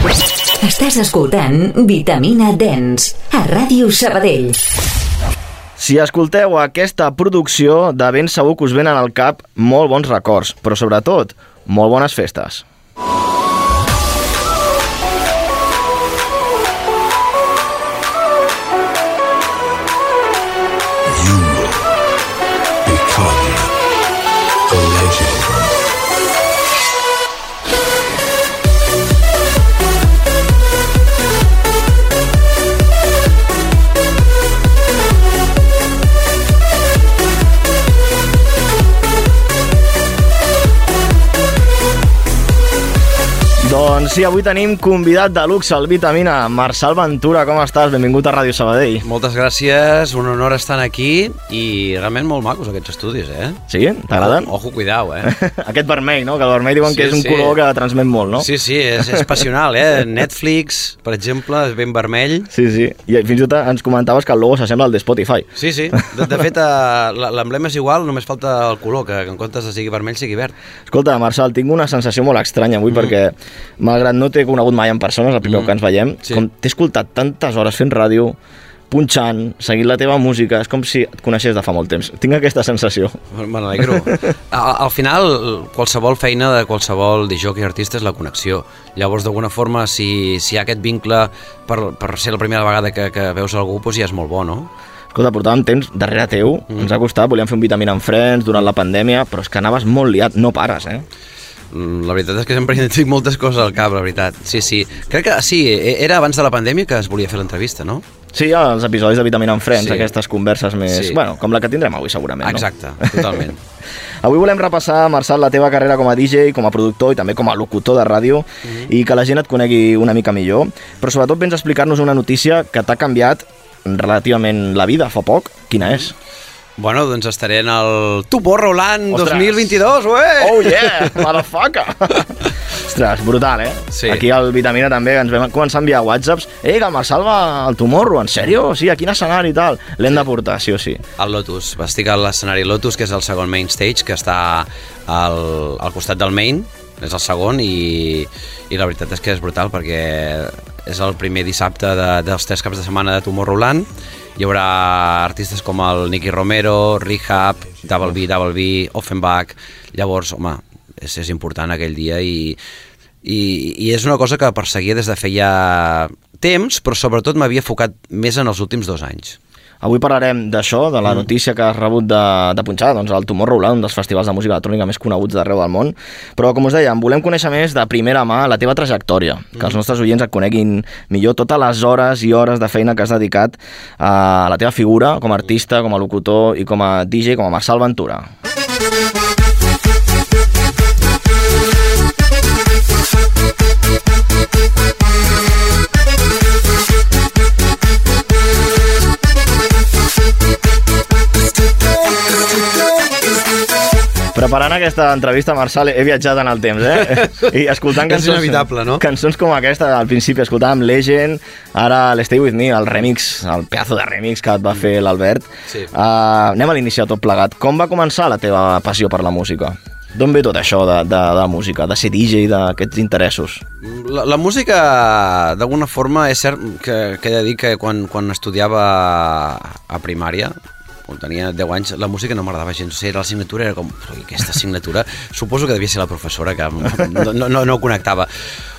Estàs escoltant Vitamina Dance a Ràdio Sabadell. Si escolteu aquesta producció, de ben segur que us venen al cap molt bons records, però sobretot, molt bones festes. You become a legend. Doncs sí, avui tenim convidat de luxe al Vitamina, Marçal Ventura. Com estàs? Benvingut a Ràdio Sabadell. Moltes gràcies, un honor estar aquí i realment molt macos aquests estudis, eh? Sí? T'agraden? Ojo, cuidao, eh? Aquest vermell, no? Que el vermell diuen que és un color que transmet molt, no? Sí, és passional, eh? Netflix, per exemple, és ben vermell. Sí, i fins i tot ens comentaves que el logo s'assembla al de Spotify. Sí. De fet, l'emblema és igual, només falta el color, que en comptes de sigui vermell sigui verd. Escolta, Marçal, tinc una sensació molt estranya avui perquè, malgrat no t'he conegut mai en persona, és el primer que ens veiem, com t'he escoltat tantes hores fent ràdio, punxant, seguint la teva música, és com si et coneixés de fa molt temps. Tinc aquesta sensació. Me n'alegro. Al final, qualsevol feina de qualsevol disjockey i artista és la connexió. Llavors, d'alguna forma, si hi ha aquest vincle per ser la primera vegada que veus algú, doncs ja és molt bo, no? Escolta, portàvem temps darrere teu, ens ha costat, volíem fer un Vitamina amb Friends durant la pandèmia, però és que anaves molt liat, no pares, eh? La veritat és que sempre tinc moltes coses al cap, la veritat. Sí. Crec que sí, era abans de la pandèmia que es volia fer l'entrevista, no? Sí, els episodis de Vitamina amb Friends, aquestes converses més... Sí. Bueno, com la que tindrem avui, segurament, no? Exacte, totalment. Avui volem repassar, Marçal, la teva carrera com a DJ, com a productor i també com a locutor de ràdio i que la gent et conegui una mica millor, però sobretot vens a explicar-nos una notícia que t'ha canviat relativament la vida fa poc. Quina és? Bueno, doncs estaré en el Tomorrowland 2022, ué! Oh yeah, motherfucker! Ostres, brutal, eh? Sí. Aquí al Vitamina també ens vam començar a enviar whatsapps. Que el Marçal va al Tomorrow, en sèrio? Sí, a quin escenari i tal? L'hem de portar, sí o sí. Al Lotus. Estic a l'escenari Lotus, que és el segon main stage, que està al costat del main, és el segon, i la veritat és que és brutal, perquè és el primer dissabte dels 3 caps de setmana de Tomorrowland. Hi haurà artistes com el Nicky Romero, Rehab, Double B, Offenbach. Llavors, home, és important aquell dia i és una cosa que perseguia des de feia temps, però sobretot m'havia focat més en els últims 2 anys. Avui parlarem d'això, de la notícia que has rebut de punxar, doncs el Tomorrowland, un dels festivals de música electrònica més coneguts d'arreu del món. Però, com us dèiem, volem conèixer més de primera mà la teva trajectòria, que els nostres oients et coneguin millor totes les hores i hores de feina que has dedicat a la teva figura com a artista, com a locutor i com a DJ, com a Marçal Ventura. Preparant aquesta entrevista, Marçal, he viatjat en el temps, I escoltant cançons... És inevitable, no? Cançons com aquesta, al principi escoltàvem Legend, ara l'Stay With Me, el remix, el pedazo de remix que et va fer l'Albert. Sí. Anem a l'iniciar tot plegat. Com va començar la teva passió per la música? D'on ve tot això de la música, de ser DJ, d'aquests interessos? La música, d'alguna forma, és cert que he de dir que quan estudiava a primària, quan tenia 10 anys, la música no m'agradava gens. O sigui, la assignatura era com... Aquesta assignatura, suposo que devia ser la professora que no connectava.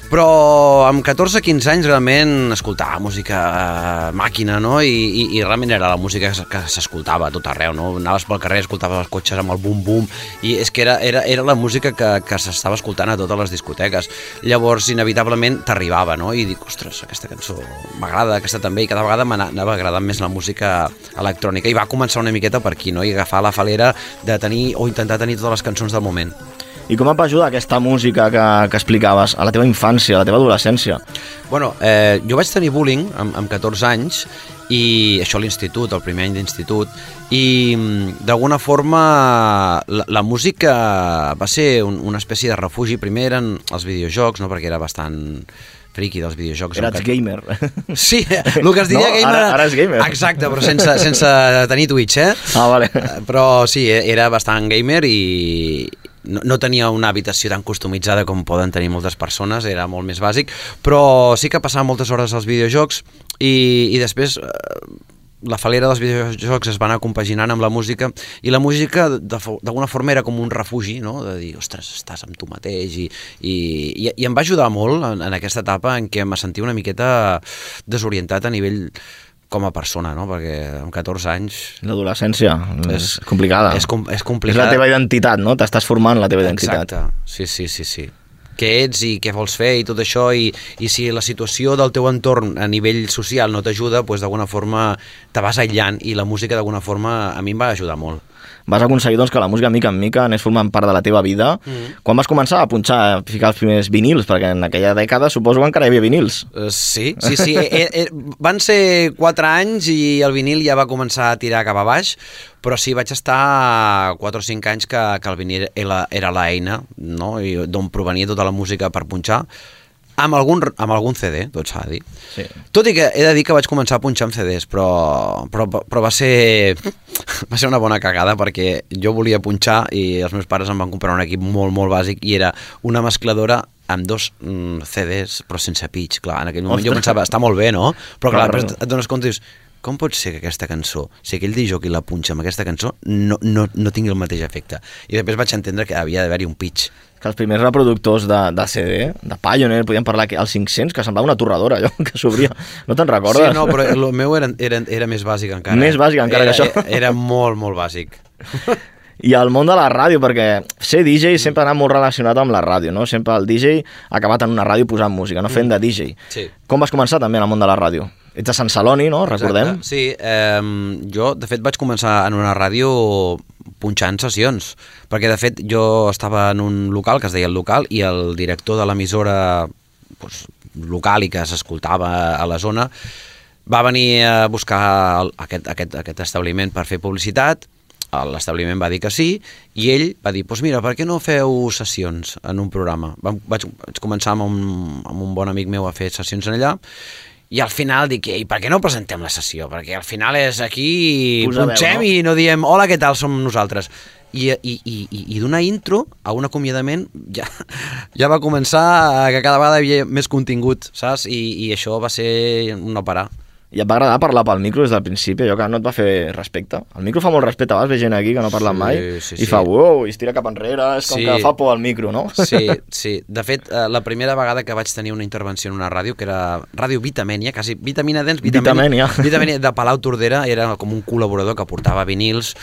Però amb 14-15 anys realment escoltava música màquina, no? I realment era la música que s'escoltava a tot arreu, no? Anaves pel carrer, escoltaves els cotxes amb el bum-bum, i és que era la música que s'estava escoltant a totes les discoteques. Llavors, inevitablement, t'arribava, no? I dic, ostres, aquesta cançó m'agrada, aquesta també, i cada vegada m'anava agradant més la música electrònica. I va començar una miqueta per aquí, no? I agafar la falera de tenir, o intentar tenir totes les cançons del moment. I com et va ajudar aquesta música que explicaves a la teva infància, a la teva adolescència? Bueno, jo vaig tenir bullying amb 14 anys, i això a l'institut, el primer any d'institut, i d'alguna forma la música va ser una espècie de refugi. Primer eren els videojocs, no? Perquè era bastant friqui dels videojocs. Eres gamer. Sí, el que es diria no, gamer... Ara és gamer. Exacte, però sense tenir Twitch, Ah, vale. Però sí, era bastant gamer i no tenia una habitació tan customitzada com poden tenir moltes persones, era molt més bàsic, però sí que passava moltes hores als videojocs i després la falera dels videojocs es va anar compaginant amb la música i la música d'alguna forma era com un refugi, no? De dir, ostres, estàs amb tu mateix i em va ajudar molt en aquesta etapa en què em sentia una miqueta desorientat a nivell com a persona, no? Perquè amb 14 anys... L'adolescència és complicada. És complicada. És la teva identitat, no? T'estàs formant la teva identitat. Exacte, sí. Què ets i què vols fer i tot això i si la situació del teu entorn a nivell social no t'ajuda, doncs d'alguna forma te vas aïllant i la música d'alguna forma a mi em va ajudar molt. Vas aconseguir doncs, que la música mica en mica anés formant part de la teva vida. Quan vas començar a punxar, a ficar els primers vinils? Perquè en aquella dècada suposo que encara hi havia vinils. Sí. Van ser 4 anys i el vinil ja va començar a tirar cap a baix, però sí, vaig estar 4 o 5 anys que el vinil era l'eina, no? D'on provenia tota la música per punxar. Amb algun CD, tot s'ha de dir. Sí. Tot i que he de dir que vaig començar a punxar amb CDs, però va ser una bona cagada perquè jo volia punxar i els meus pares em van comprar un equip molt, molt bàsic i era una mescladora amb 2 CDs però sense pitch. Clar, en aquell moment jo pensava, està molt bé, no? Però clar, després et dones compte i dius, com pot ser que aquesta cançó, si aquell DJ la punxa amb aquesta cançó, no tingui el mateix efecte? I després vaig entendre que havia d'haver-hi un pitch. Que els primers reproductors de CD, de Pioneer, podíem parlar que als 500, que semblava una torradora, allò que s'obria. No te'n recordes? Sí, no, però el meu era més bàsic encara. Més bàsic encara que això. Era molt, molt bàsic. I el món de la ràdio, perquè ser DJ sempre ha anat molt relacionat amb la ràdio, no? Sempre el DJ ha acabat en una ràdio posant música, no fent de DJ. Sí. Com vas començar també en el món de la ràdio? Ets de Sant Celoni, no? Recordem? Exacte. Sí, jo de fet vaig començar en una ràdio punxant sessions, perquè de fet jo estava en un local que es deia El Local i el director de l'emissora local i que s'escoltava a la zona va venir a buscar aquest establiment per fer publicitat. L'establiment va dir que sí i ell va dir, doncs mira, per què no feu sessions en un programa? Vaig començar amb un bon amic meu a fer sessions allà i al final dic, ei, per què no presentem la sessió? Perquè al final és aquí, punxem i no diem, hola, què tal, som nosaltres. I d'una intro a un acomiadament ja va començar que cada vegada hi havia més contingut, saps? I això va ser un no parar. I et va agradar parlar pel micro des del principi, allò que no et va fer respecte? El micro fa molt respecte, a vegades ve gent aquí que no parla mai i fa uau, i es tira cap enrere, és com que fa por al micro, no? Sí. De fet, la primera vegada que vaig tenir una intervenció en una ràdio, que era Ràdio Vitamènia, quasi Vitamina Dents, Vitamènia de Palau Tordera, era com un col·laborador que portava vinils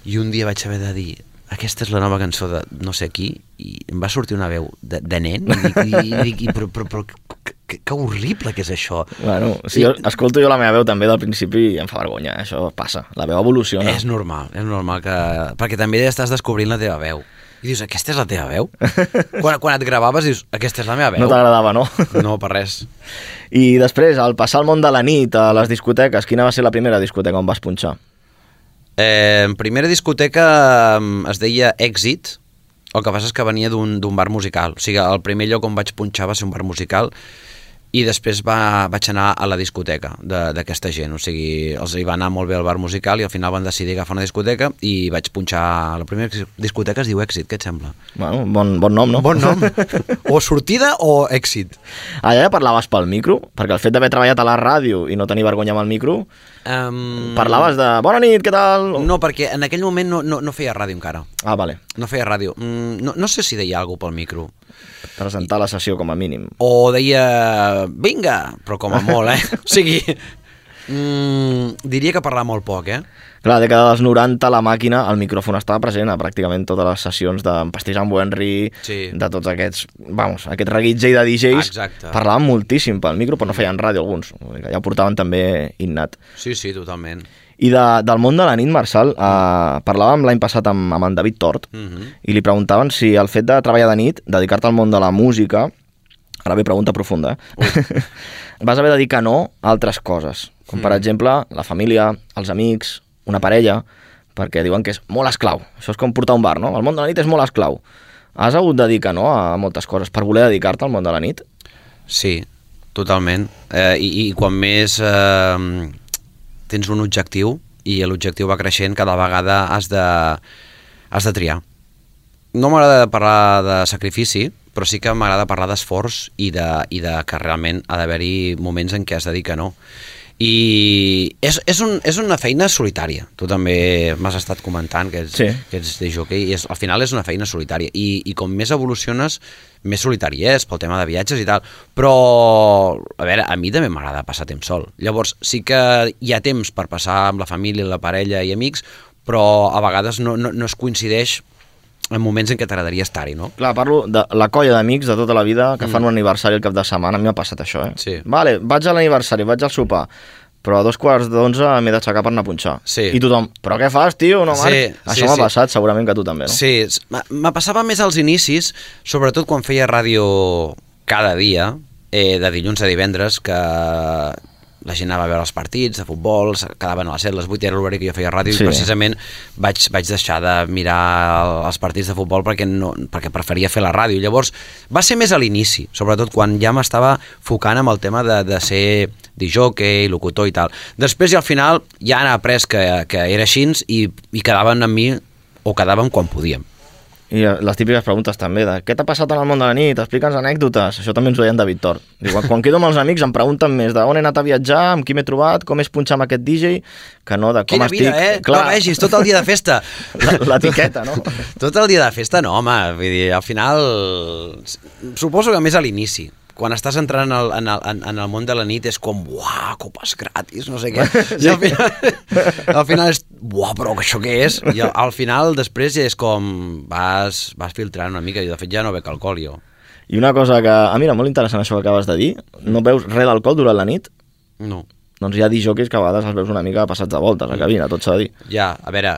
i un dia vaig haver de dir, aquesta és la nova cançó de no sé qui, i em va sortir una veu de nen i dic, però que horrible que és això. Bueno, si jo escolto la meva veu també del principi i em fa vergonya, això passa, la veu evoluciona. És normal que... perquè també estàs descobrint la teva veu. I dius, aquesta és la teva veu? Quan et gravaves dius, aquesta és la meva veu. No t'agradava, no? No, per res. I després, al passar al món de la nit, a les discoteques, quina va ser la primera discoteca on vas punxar? Primera discoteca es deia Èxit, el que passa és que venia d'un bar musical. O sigui, el primer lloc on vaig punxar va ser un bar musical i després vaig anar a la discoteca d'aquesta gent. O sigui, els hi va anar molt bé el bar musical i al final van decidir agafar una discoteca i vaig punxar... La primera discoteca es diu Èxit, què et sembla? Bueno, bon nom, no? Bon nom. O sortida o èxit. Allà ja parlaves pel micro? Perquè el fet d'haver treballat a la ràdio i no tenir vergonya amb el micro... Parlaves de bona nit, què tal? No, perquè en aquell moment no feia ràdio encara. Ah, vale. No feia ràdio. No sé si deia alguna cosa pel micro. Presentar la sessió com a mínim. O deia, vinga, però com a molt, O sigui, diria que parlava molt poc, Clar, a la dècada dels 90 la màquina, el micròfon estava present a pràcticament totes les sessions de Pastís amb Henry, de tots aquests, aquest reguitzell de DJs. Exacte. Parlaven moltíssim pel micro, però no feien ràdio alguns. Ja ho portaven també innat. Sí, totalment. I del món de la nit, Marçal, parlàvem l'any passat amb en David Tort i li preguntaven si el fet de treballar de nit, dedicar-te al món de la música, ara ve pregunta profunda, vas haver de dir que no a altres coses, com per exemple la família, els amics, una parella, perquè diuen que és molt esclau. Això és com portar un bar, no? El món de la nit és molt esclau. Has hagut de dir que no a moltes coses per voler dedicar-te al món de la nit? Sí, totalment. I quan més tens un objectiu i l'objectiu va creixent, cada vegada has de triar. no m'agrada parlar de sacrifici, però sí que m'agrada parlar d'esforç i de que realment ha d'haver-hi moments en què has de dir que no. I és una feina solitària. Tu també m'has estat comentant que ets de jockey i al final és una feina solitària i com més evoluciones més solitari és pel tema de viatges i tal, però a veure, a mi també m'agrada passar temps sol. Llavors sí que hi ha temps per passar amb la família, la parella i amics, però a vegades no es coincideix en moments en què t'agradaria estar-hi, no? Clar, parlo de la colla d'amics de tota la vida que fan un aniversari el cap de setmana. A mi m'ha passat això, Sí. Vale, vaig a l'aniversari, vaig al sopar, però a 2:45 m'he d'aixecar per anar a punxar. Sí. I tothom, però què fas, tio? No, Marc? Sí, això m'ha passat, segurament que tu també, no? Sí, me passava més als inicis, sobretot quan feia ràdio cada dia, de dilluns a divendres, que la gent anava a veure els partits de futbol, quedaven a les 7, les 8, era l'horari que jo feia ràdio, i precisament vaig deixar de mirar els partits de futbol perquè preferia fer la ràdio. Llavors, va ser més a l'inici, sobretot quan ja m'estava focant amb el tema de ser disjockey, locutor i tal. Després i al final ja han après que era així i quedaven amb mi o quedàvem quan podíem. I les típiques preguntes també, de què t'ha passat en el món de la nit, explica'ns anècdotes. Això també ens ho deien David Tort. Quan quedo amb els amics em pregunten més de on he anat a viatjar, amb qui m'he trobat, com és punxar amb aquest DJ, que no de com Quina estic. vida, Clar, no vegis, tot el dia de festa. L'etiqueta, no? Tot el dia de festa no, home. Vull dir, al final, suposo que més a l'inici. Quan estàs entrant en el món de la nit és com, uah, copes gratis, no sé què. I al final és, uah, però això què és? I al final després és com, vas filtrant una mica, i de fet ja no bec alcohol jo. I una cosa que, mira, molt interessant això que acabes de dir, no beus res d'alcohol durant la nit? No. Doncs hi ha disjockeys que a vegades els veus una mica passats de voltes a cabina, tot s'ha de dir. Ja, a veure,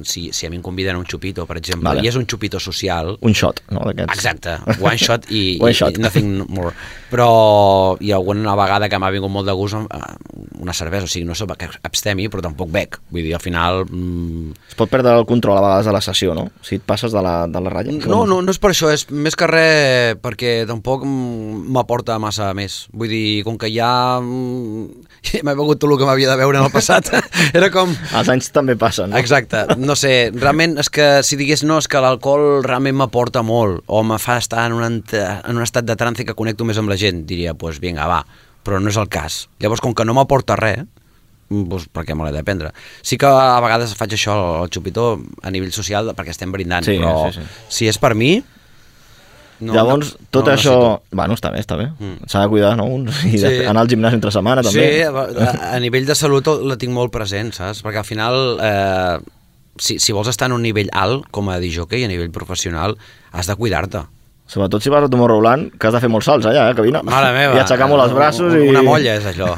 si a mi em conviden a un xupito, per exemple, Vale. i és un xupito social... Un shot, no? Exacte, one shot i One shot. nothing more. Però hi ha alguna vegada que m'ha vingut molt de gust una cervesa, o sigui, no soc que abstemi, però tampoc bec. Vull dir, al final... Es pot perdre el control a vegades de la sessió, no? Si et passes de la ratlla. No és per això, és més que res perquè tampoc m'aporta massa més. Vull dir, com que ja m'he begut tot el que m'havia de veure en el passat, era com... Els anys també passen, no? Exacte, no sé, realment és que si digués no, és que l'alcohol realment m'aporta molt, o me fa estar en un estat de trance que connecto més amb la gent, diria, doncs vinga, va, però no és el cas. Llavors, com que no m'aporta res, doncs per què me l'he de prendre? Sí que a vegades faig això, el xupitó, a nivell social, perquè estem brindant, Sí, però sí. si és per mi... Llavors, tot això... Bueno, està bé. S'ha de cuidar, no? I anar al gimnàs entre setmana, també. Sí, a nivell de salut la tinc molt present, saps? Perquè al final, si vols estar en un nivell alt, com a disjockey, a nivell professional, has de cuidar-te. Sobretot si vas a Tomorrowland, que has de fer molts salts allà, cabina. Mare meva. I aixecar molt els braços. Una molla és això.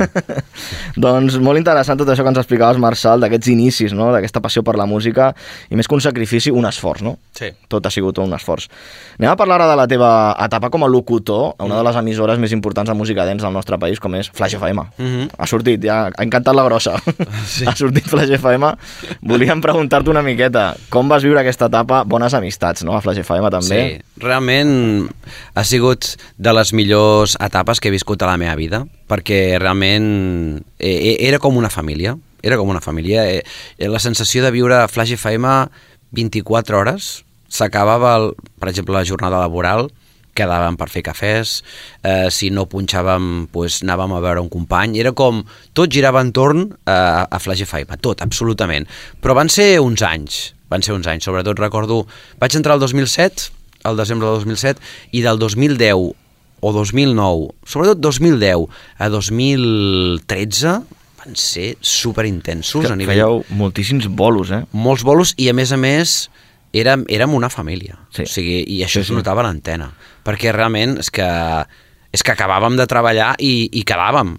Doncs molt interessant tot això que ens explicaves, Marçal, d'aquests inicis, no? D'aquesta passió per la música, i més que un sacrifici, un esforç, no? Sí. Tot ha sigut un esforç. Anem a parlar ara de la teva etapa com a locutor a una de les emissores més importants de música dance del nostre país, com és Flash FM. Ha sortit, ja ha encantat la grossa. Sí. Ha sortit Flash FM. Volíem preguntar-te una miqueta, com vas viure aquesta etapa? Bones amistats, no? A Flash FM també. Sí, realment ha sigut de les millors etapes que he viscut a la meva vida, perquè realment era com una família. Era com una família. La sensació de viure a Flash FM 24 hores, s'acabava, per exemple, la jornada laboral, quedàvem per fer cafès, si no punxàvem, doncs anàvem a veure un company, era com, tot girava entorn a Flash FM, tot, absolutament. Però van ser uns anys, sobretot recordo, vaig entrar el 2007, al desembre del 2007, i del 2010 o 2009, sobretot 2010 a 2013, van ser superintensos a nivell... Fèieu moltíssims bolos, Molts bolos, i a més érem una família. Sí. O sigui, i això es notava a l'antena, perquè realment és que acabàvem de treballar i quedàvem,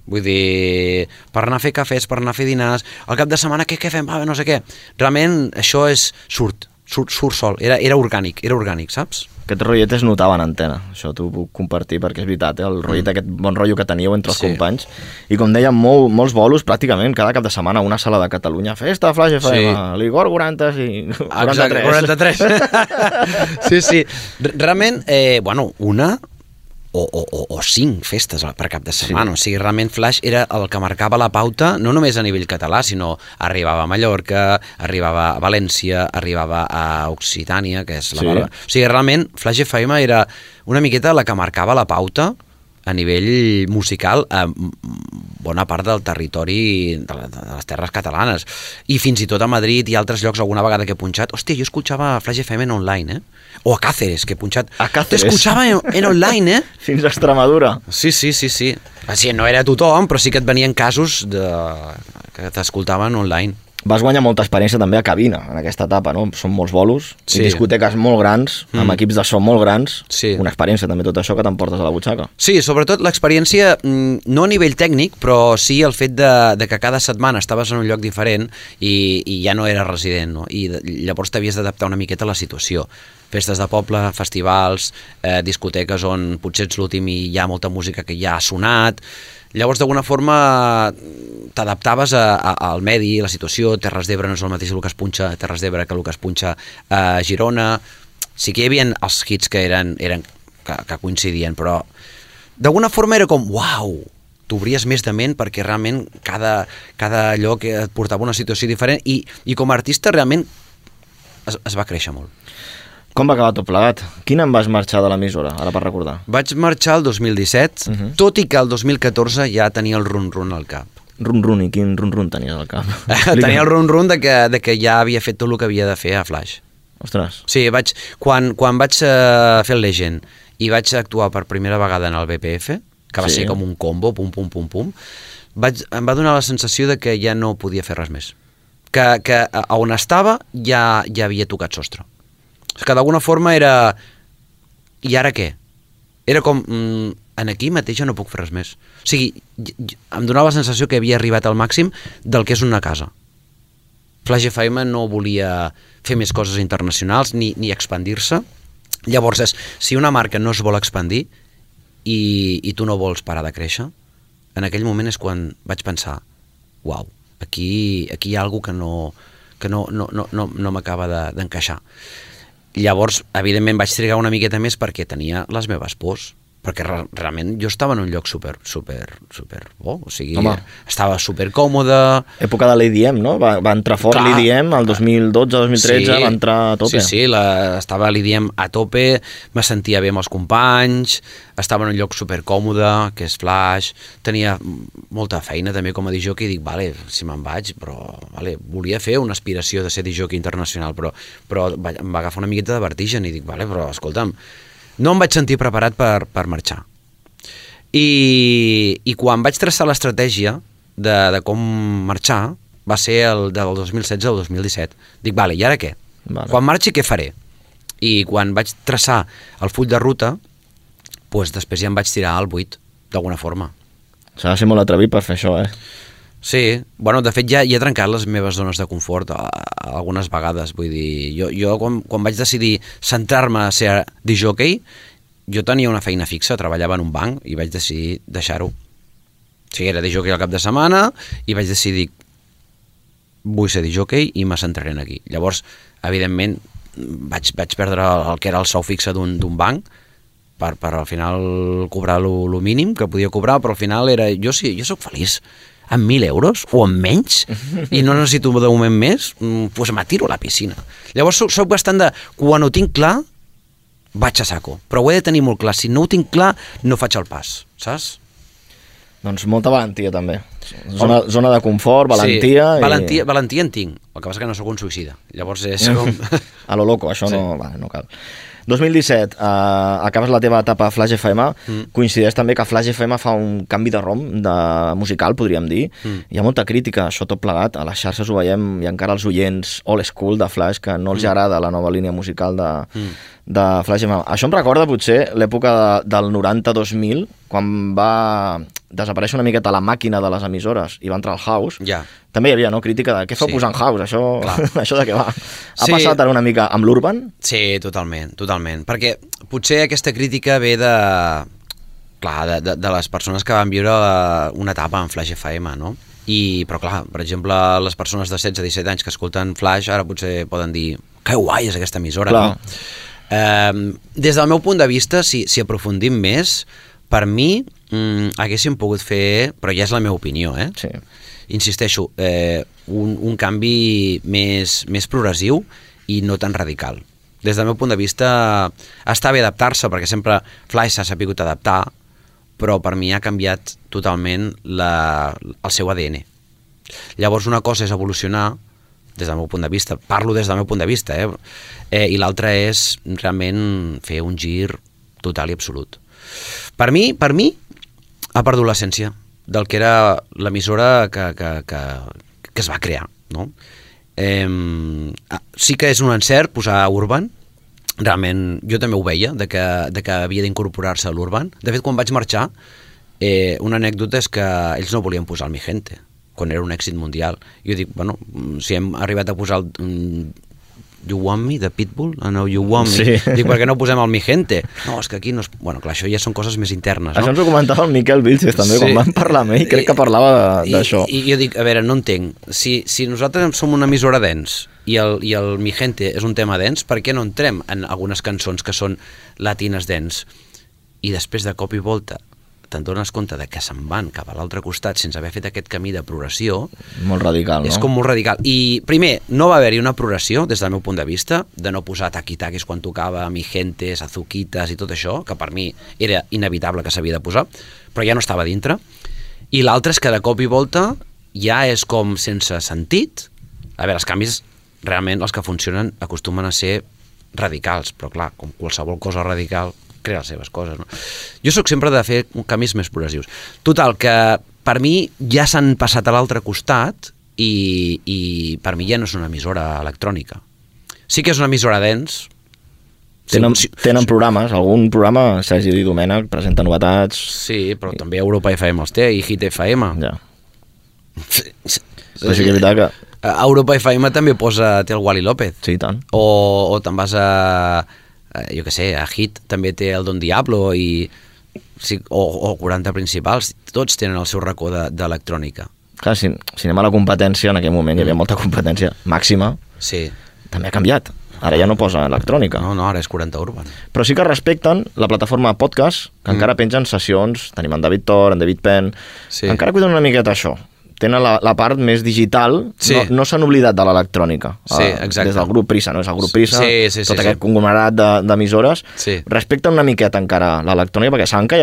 vull dir, per anar a fer cafès, per anar a fer dinars, al cap de setmana què fem? No sé què. Realment això surt sol, era orgànic, saps? Aquest rotllet es notava en antena, això t'ho puc compartir perquè és veritat, el rotllet, aquest bon rotllo que teníeu entre els companys, i com dèiem, molts bolos pràcticament, cada cap de setmana una sala de Catalunya, festa, Flash FM, l'Igor 40 i 43. Sí. Realment, o 5 festes per cap de setmana. O sigui, realment Flash era el que marcava la pauta, no només a nivell català, sinó arribava a Mallorca, arribava a València, arribava a Occitània, que és la Barba. O sigui, realment Flash FM era una miqueta la que marcava la pauta a nivell musical a bona part del territori de les terres catalanes. I fins i tot a Madrid i altres llocs alguna vegada que he punxat. Hòstia, jo escoltava Flash FM en online, O a Cáceres, que he punxat. A Cáceres. T'escoltava en online, Fins a Extremadura. Sí. Així, no era tothom, però sí que et venien casos que t'escoltaven online. Vas guanyar molta experiència també a cabina, en aquesta etapa, no? Són molts bolos, Sí. i discoteques molt grans, amb equips de so molt grans, Sí. una experiència també tot això que t'emportes a la butxaca. Sí, sobretot l'experiència, no a nivell tècnic, però sí el fet de que cada setmana estaves en un lloc diferent i ja no eres resident, no? I llavors t'havies d'adaptar una miqueta a la situació. Festes de poble, festivals, discoteques on potser ets l'últim i hi ha molta música que ja ha sonat. Llavors, d'alguna forma, t'adaptaves al medi, a la situació. Terres d'Ebre no és el mateix el que es punxa a Terres d'Ebre que el que es punxa a Girona. Sí que hi havia els hits que que coincidien, però d'alguna forma era com, uau, t'obries més de ment perquè realment cada lloc et portava una situació diferent i com a artista realment es va créixer molt. Com va acabar tot plegat? Quin any vas marxar de l'emissora, ara per recordar? Vaig marxar el 2017, tot i que el 2014 ja tenia el run-run al cap. Run-run, i quin run-run tenies al cap? Tenia el run-run de que ja havia fet tot el que havia de fer a Flash. Ostres. Sí, quan vaig fer el Legend i vaig actuar per primera vegada en el BPF, que va ser com un combo, pum, em va donar la sensació de que ja no podia fer res més. Que on estava ja havia tocat sostre. Que d'alguna forma era... I ara què? Era com... en aquí mateix ja no puc fer res més. O sigui, em donava la sensació que havia arribat al màxim del que és una casa. Flash FM no volia fer més coses internacionals ni expandir-se. Llavors, si una marca no es vol expandir i tu no vols parar de créixer, en aquell moment és quan vaig pensar, uau, aquí hi ha alguna que no m'acaba d'encaixar. Llavors, evidentment, vaig trigar una miqueta més perquè tenia les meves pors, perquè realment jo estava en un lloc super bo, o sigui, estava super còmode. Època de l'EDM, no? Va entrar fort l'EDM el 2012-2013, va entrar a tope. Sí, estava l'EDM a tope, me sentia bé amb els companys, estava en un lloc super còmode, que és Flash, tenia molta feina també com a disjockey, i dic, vale, si me'n vaig, però volia fer una aspiració de ser disjockey internacional, però em va agafar una miqueta de vertigen i dic, vale, però escolta'm, no em vaig sentir preparat per marxar. I quan vaig traçar l'estratègia de com marxar, va ser del 2016 al 2017. Dic, vale, i ara què? Quan marxi, què faré? I quan vaig traçar el full de ruta, doncs després ja em vaig tirar al buit, d'alguna forma. S'ha de ser molt atrevit per fer això, Sí, bueno, de fet ja he trencat les meves zones de confort algunes vegades, vull dir, jo quan vaig decidir centrar-me a ser disjockey, jo tenia una feina fixa, treballava en un banc i vaig decidir deixar-ho. O sigui, era disjockey al cap de setmana i vaig decidir vull ser disjockey i me centraré aquí. Llavors, evidentment, vaig perdre el que era el sou fixe d'un banc per al final cobrar lo mínim que podia cobrar, però al final era... Jo soc feliç amb 1.000 euros o amb menys i no necessito de moment més, doncs m'atiro a la piscina. Llavors soc bastant de... Quan ho tinc clar, vaig a saco. Però ho he de tenir molt clar. Si no ho tinc clar, no faig el pas, saps? Doncs molta valentia, també. Zona de confort, valentia... Sí, valentia en tinc. El que passa que no sóc un suïcida. Llavors és com... A lo loco, això no cal. 2017, acabes la teva etapa a Flash FM, coincideix també que Flash FM fa un canvi de rom musical, podríem dir. Hi ha molta crítica, això tot plegat, a les xarxes ho veiem, i encara els oients old school de Flash, que no els agrada la nova línia musical de Flash FM. Això em recorda potser l'època del 90-2000, quan va desaparèixer una miqueta la màquina de les emissores i va entrar el house. També hi havia crítica de què feu posant house, això de què va? Ha passat ara una mica amb l'Urban? Sí, totalment, perquè potser aquesta crítica ve de les persones que van viure una etapa en Flash FM, no? Però clar, per exemple, les persones de 16-17 anys que escolten Flash ara potser poden dir que guai és aquesta emissora, no? Des del meu punt de vista, si aprofundim més, per mi haguéssim pogut fer, però ja és la meva opinió, Sí. Insisteixo, un canvi més progressiu i no tan radical. Des del meu punt de vista està bé adaptar-se, perquè sempre Fly s'ha sapigut adaptar, però per mi ha canviat totalment el seu ADN. Llavors una cosa és evolucionar des del meu punt de vista, parlo des del meu punt de vista, i l'altra és realment fer un gir total i absolut. Per mi ha perdut l'essència del que era l'emissora que es va crear, no? Sí que és un encert posar Urban, realment jo també ho veia, de que havia d'incorporar-se a l'Urban. De fet, quan vaig marxar, una anècdota és que ells no volien posar el Mi Gente, quan era un èxit mundial. Jo dic, bueno, si hem arribat a posar el You Want Me, de Pitbull, I Know You Want Me, Sí. dic, per què no posem el Mi Gente? No, és que aquí no és... Bueno, clar, això ja són coses més internes, no? Això ens ho comentava el Miquel Vilches també, quan vam parlar amb ell, crec que parlava d'això. I jo dic, a veure, no entenc, si nosaltres som una emissora dance i el Mi Gente és un tema dance, per què no entrem en algunes cançons que són latines dance? I després de cop i volta te'n dones compte de que se'n van cap a l'altre costat sense haver fet aquest camí de progressió. Molt radical, no? És com molt radical. I primer, no va haver-hi una progressió des del meu punt de vista, de no posar taquitaquis quan tocava Mi Gentes, Azuquitas i tot això, que per mi era inevitable que s'havia de posar, però ja no estava dintre. I l'altre és que de cop i volta ja és com sense sentit. A veure, els canvis realment els que funcionen acostumen a ser radicals, però clar, com qualsevol cosa radical crea les seves coses, no? Jo sóc sempre de fer canvis més progressius. Total, que per mi ja s'han passat a l'altre costat i per mi ja no és una emissora electrònica. Sí que és una emissora dance. Tenen programes, algun programa, Sergi i Domènech, presenta novetats... Sí, però també Europa FM els té i Hit FM. Ja. Però sí que és veritat que... Europa FM també té el Wally López. Sí, i tant. O te'n vas jo què sé, a Hit també té el Don Diablo o 40 principals, tots tenen el seu racó d'electrònica. Clar, si anem a la competència, en aquell moment hi havia molta competència màxima, sí. També ha canviat. Ara ja no posa electrònica. No, ara és 40 Urban. Però sí que respecten la plataforma podcast, que encara pengen sessions, tenim en David Thor, en David Penn, sí. Encara cuiden una miqueta això. Tenen la part més digital, sí. no s'han oblidat de l'electrònica. Sí, exacte. Des del grup Prisa, no? És el grup Prisa, sí, tot aquest conglomerat d'emissores, respecten una miqueta encara l'electrònica, perquè saben que hi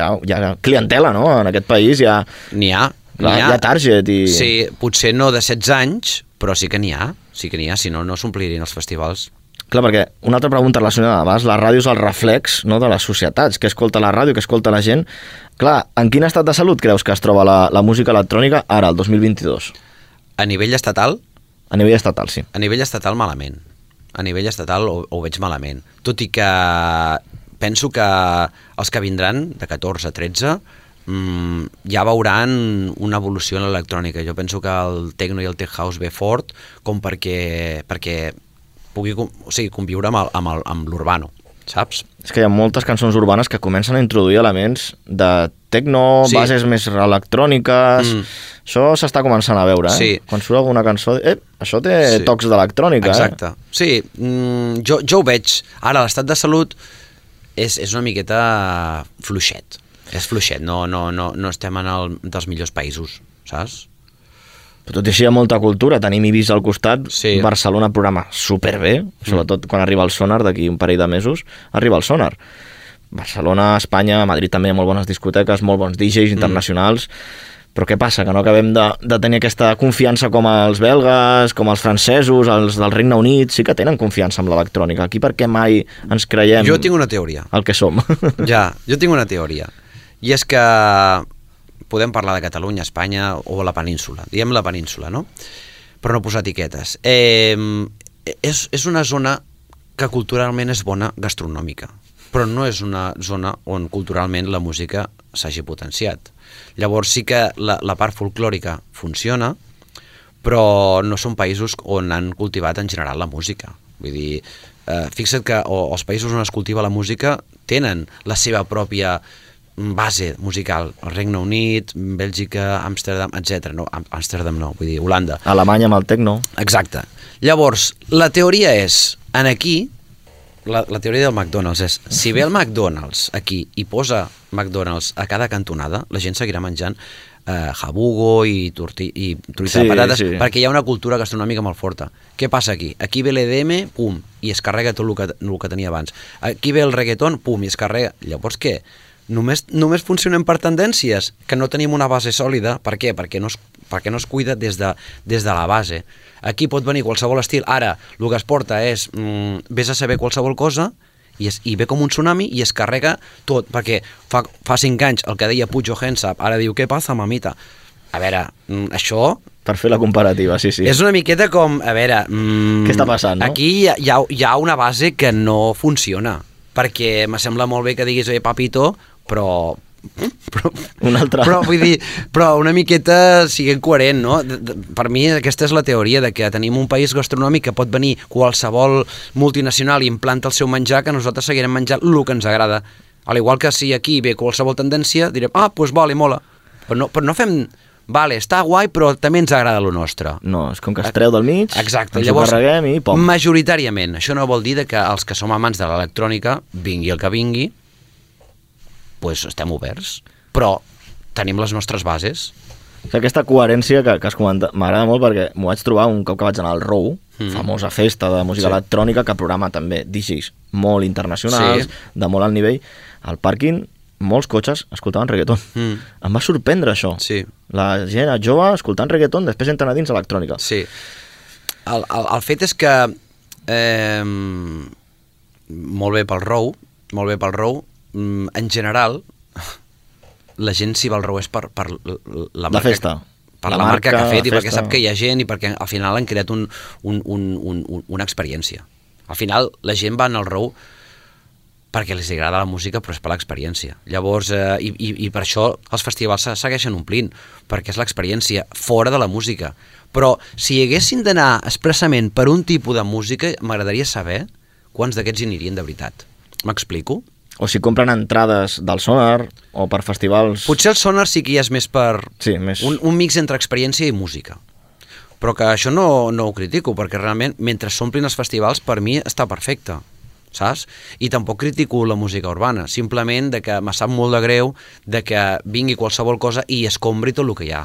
ha clientela, no? En aquest país hi ha target. Sí, potser no de 16 anys, però sí que n'hi ha, si no s'omplirien els festivals. Clar, perquè una altra pregunta relacionada, abans, la ràdio és el reflex, no, de les societats, que escolta la ràdio, que escolta la gent. Clar, en quin estat de salut creus que es troba la música electrònica ara, el 2022? A nivell estatal? A nivell estatal, sí. A nivell estatal, malament. A nivell estatal ho veig malament. Tot i que penso que els que vindran, de 14 a 13, ja veuran una evolució en l'electrònica. Jo penso que el techno i el tech house ve fort com perquè pugui conviure amb l'urbano, saps? És que hi ha moltes cançons urbanes que comencen a introduir elements de techno, bases més electròniques... Això s'està començant a veure, sí. Quan surt alguna cançó... això té tocs d'electrònica, Exacte. Sí, jo ho veig. Ara, l'estat de salut és una miqueta fluixet. És fluixet, no estem en dels millors països, saps? Tot i així hi ha molta cultura, tenim Ibiza al costat, Barcelona programa superbé, sobretot quan arriba el Sonar, d'aquí un parell de mesos, arriba el Sonar. Barcelona, Espanya, Madrid també hi ha molt bones discoteques, molt bons DJs internacionals, però què passa? Que no acabem de tenir aquesta confiança com els belgues, com els francesos, els del Regne Unit, sí que tenen confiança amb l'electrònica. Aquí per què mai ens creiem... Jo tinc una teoria. El que som. Ja, jo tinc una teoria. I és que podem parlar de Catalunya, Espanya o la península. Diem la península, no? Però no posar etiquetes. És una zona que culturalment és bona gastronòmica, però no és una zona on culturalment la música s'hagi potenciat. Llavors sí que la part folclòrica funciona, però no són països on han cultivat en general la música. Vull dir, fixa't que els països on es cultiva la música tenen la seva pròpia base musical. El Regne Unit, Bèlgica, Amsterdam, etc. No, Amsterdam no, vull dir, Holanda. Alemanya amb el techno. Exacte. Llavors, la teoria és, aquí la teoria del McDonald's és, si ve el McDonald's aquí i posa McDonald's a cada cantonada, la gent seguirà menjant jabugo i truita de patates, perquè hi ha una cultura gastronòmica molt forta. Què passa aquí? Aquí ve l'EDM, pum, i es carrega tot el que tenia abans. Aquí ve el reggaeton, pum, i es carrega. Llavors què? Només funcionem per tendències, que no tenim una base sòlida. Per què? Perquè no es cuida des de la base. Aquí pot venir qualsevol estil. Ara, el que es porta és, vés a saber qualsevol cosa, i ve com un tsunami i es carrega tot, perquè fa 5 anys el que deia Puig O'Hensap, ara diu, què passa, mamita? A veure, això... Per fer la comparativa, sí. És una miqueta com, a veure... Què està passant, no? Aquí hi ha una base que no funciona, perquè me sembla molt bé que diguis, oye, papito, però vull dir, però una miqueta siguent coherent, no? Per mi aquesta és la teoria de que tenim un país gastronòmic que pot venir qualsevol multinacional i implanta el seu menjar, que nosaltres seguirem menjant el que ens agrada. Al igual que si aquí ve qualsevol tendència, direm, doncs vale, mola. Però no fem... Vale, està guai, però també ens agrada el nostre. No, és com que es treu del mig, exacte, ens ho carreguem i pom. Majoritàriament. Això no vol dir que els que som amants de l'electrònica, vingui el que vingui, doncs estem oberts, però tenim les nostres bases. Aquesta coherència que has comentat m'agrada molt, perquè m'ho vaig trobar un cop que vaig anar al Row, famosa festa de música electrònica, que programa també DJs molt internacionals, de molt alt nivell. Al pàrquing, molts cotxes escoltaven reggaeton. Em va sorprendre això. Sí. La gent jove escoltant reggaeton, després entren a dins electrònica. Sí. El fet és que molt bé pel Row, en general, la gent si va al Row és per la marca, festa. Per la marca que ha fet i perquè sap que hi ha gent i perquè al final han creat una experiència. Al final la gent va al Row perquè els agrada la música, però és per l'experiència. Llavors, i per això els festivals segueixen omplint, perquè és l'experiència fora de la música. Però si haguessin d'anar expressament per un tipus de música, m'agradaria saber quants d'aquests hi anirien de veritat. M'explico? O si compren entrades del Sonar, o per festivals... Potser el Sonar sí que hi és més per... Sí, més... Un mix entre experiència i música. Però que això no ho critico, perquè realment, mentre s'omplin els festivals, per mi està perfecte, saps? I tampoc critico la música urbana, simplement de que me sap molt de greu de que vingui qualsevol cosa i escombri tot el que hi ha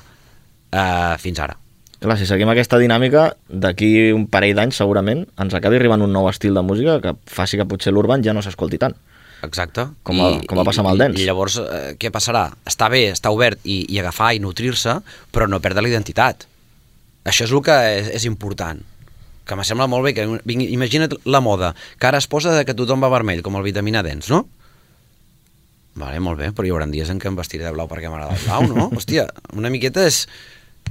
fins ara. Clar, si seguim aquesta dinàmica, d'aquí un parell d'anys segurament ens acabi arribant un nou estil de música que faci que potser l'urban ja no s'escolti tant. Exacte. Com va passar amb el dance. I llavors, què passarà? Està bé, està obert i agafar i nutrir-se, però no perdre la identitat. Això és el que és important. Que me sembla molt bé que imagina't la moda, que ara es posa que tothom va vermell, com el Vitamina Dance, no? Vale, molt bé, però hi haurà dies en què em vestiré de blau perquè m'agrada el blau, no? Hòstia, una miqueta és...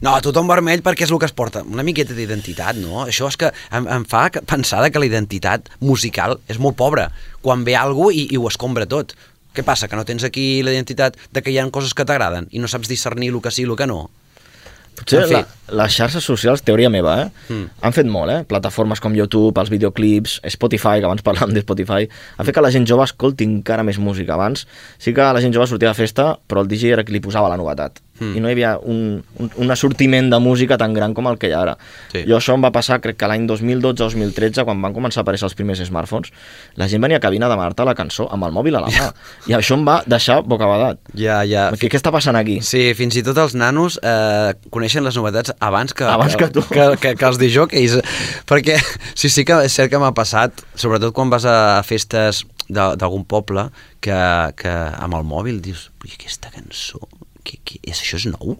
No, tothom vermell perquè és el que es porta. Una miqueta d'identitat, no? Això és que em fa pensar que la identitat musical és molt pobra. Quan ve algú i ho escombra tot. Què passa? Que no tens aquí la identitat de que hi ha coses que t'agraden i no saps discernir el que sí i el que no? Potser les xarxes socials, teoria meva, han fet molt, plataformes com YouTube, els videoclips, Spotify, que abans parlàvem de Spotify, ha fet que la gent jove escolti encara més música. Abans sí que la gent jove sortia de festa, però el DJ era qui li posava la novetat. I no hi havia un assortiment de música tan gran com el que hi ha ara. Sí. Jo això em va passar, crec que l'any 2012-2013, quan van començar a aparèixer els primers smartphones, la gent venia a cabina a demanar-te la cançó amb el mòbil a la mà. I això em va deixar bocabadat. Ja. Què està passant aquí? Sí, fins i tot els nanos coneixen les novetats abans que tu. Que els DJs. Perquè sí que és cert que m'ha passat, sobretot quan vas a festes d'algun poble, que amb el mòbil dius, aquesta cançó... Això és nou?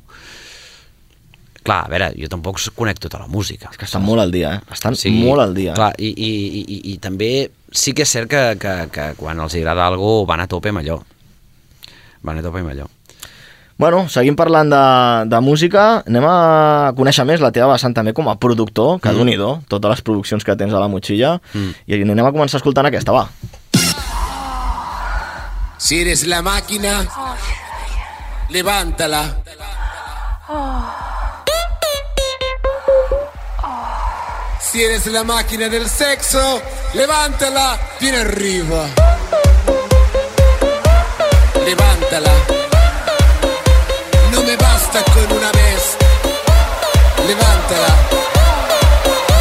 Clar, a veure, jo tampoc conec tota la música. És que estan molt al dia, Estan molt al dia. Clar, i també sí que és cert que quan els agrada alguna cosa van a tope amb allò. Bueno, seguim parlant de música. Anem a conèixer més la teva vessant també com a productor, que Déu-n'hi-do, totes les produccions que tens a la motxilla. I anem a començar escoltant aquesta, va. Si eres la máquina... Levántala. Si eres la máquina del sexo, levántala bien arriba. Levántala. No me basta con una vez. Levántala.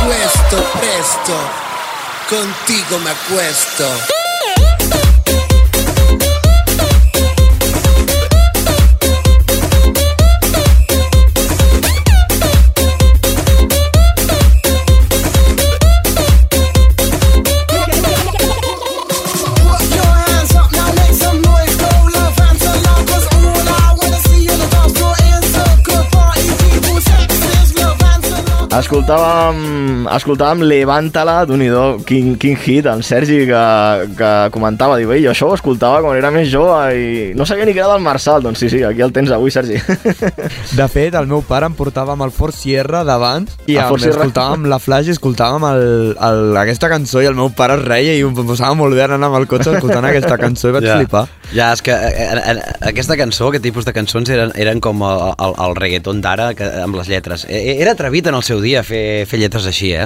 Puesto, presto. contigo me acuesto. Escoltàvem Levántala, d'un-i-do, quin hit, en Sergi, que comentava, diu, jo això ho escoltava quan era més jove i no sabia ni que era del Marçal. Doncs sí, aquí el tens avui, Sergi. De fet, el meu pare em portava amb el Fort Sierra d'abans i escoltàvem la Flash i escoltàvem aquesta cançó i el meu pare es reia i em posava molt bé anar amb el cotxe escoltant aquesta cançó i vaig flipar. Ja, és que aquesta cançó, aquest tipus de cançons eren com el reggaeton d'ara amb les lletres. Era atrevit en el seu dia fer lletres així,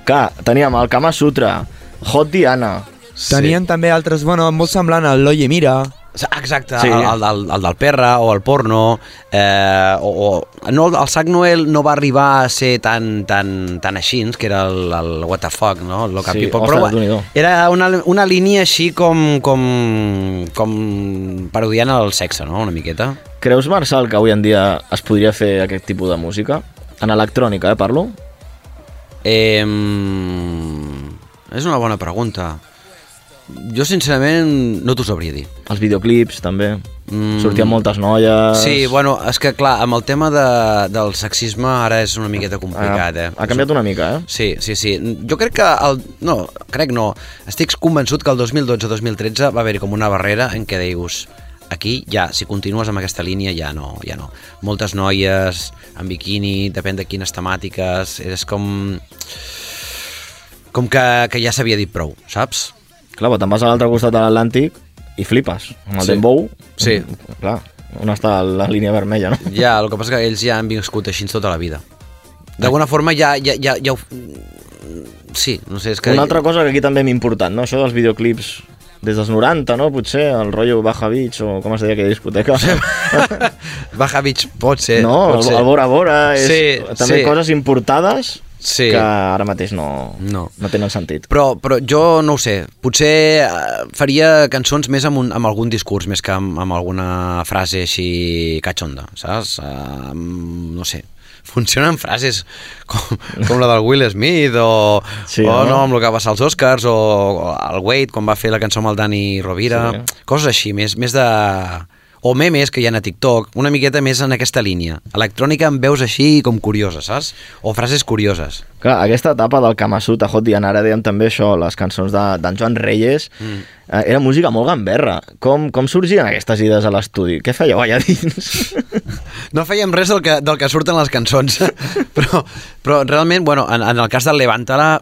Clar, teníem el Kama Sutra, Hot Diana. Tenien també altres, molt semblant al L'Oye Mira. Exacte, sí. el del Perra o el porno, el Sac Noel no va arribar a ser tan així, que era el what the fuck, no? El local people, però era una línia així com parodiant el sexe, no? Una miqueta. Creus, Marçal, que avui en dia es podria fer aquest tipus de música? En electrònica, parlo? És una bona pregunta. Jo, sincerament, no t'ho sabria dir. Els videoclips, també. Sortien moltes noies... Sí, és que, clar, amb el tema del sexisme ara és una miqueta complicat, Ha canviat una mica, Sí. Jo crec que... Estic convençut que el 2012-2013 va haver-hi com una barrera en què dius... Aquí ja, si continues amb aquesta línia, ja no. Moltes noies en biquini, depèn de quines temàtiques, és com que ja s'havia dit prou, saps? Clar, te'n vas a l'altre costat de l'Atlàntic i flipes. Amb el Dembow, sí. Clar, on està la línia vermella, no? Ja, el que passa que ells ja han viscut així tota la vida. D'alguna forma ja ho... Sí, no sé, és que... Una altra cosa que aquí també m'ha important, no? Això dels videoclips... Des dels 90, no? Potser, el rotllo Baja Beach, o com es deia aquella discoteca. Baja Beach pot ser. No, el Bora Bora, també coses importades que ara mateix no tenen sentit. Però jo no ho sé, potser faria cançons més amb algun discurs, més que amb alguna frase així catxonda, saps? No sé. Funcionen frases com la del Will Smith o amb el que va passar als Oscars o el Wade quan va fer la cançó amb el Dani Rovira, coses així, més de... o memes que hi ha a TikTok, una miqueta més en aquesta línia. Electrònica amb veus així com curioses, saps? O frases curioses. Clar, aquesta etapa del Kama Sutra, Hot Diana, ara dèiem també això, les cançons d'en Joan Reyes, era música molt gamberra. Com sorgien aquestes idees a l'estudi? Què fèieu allà dins? No fèiem res del que surten les cançons, però realment, en el cas del Levántala,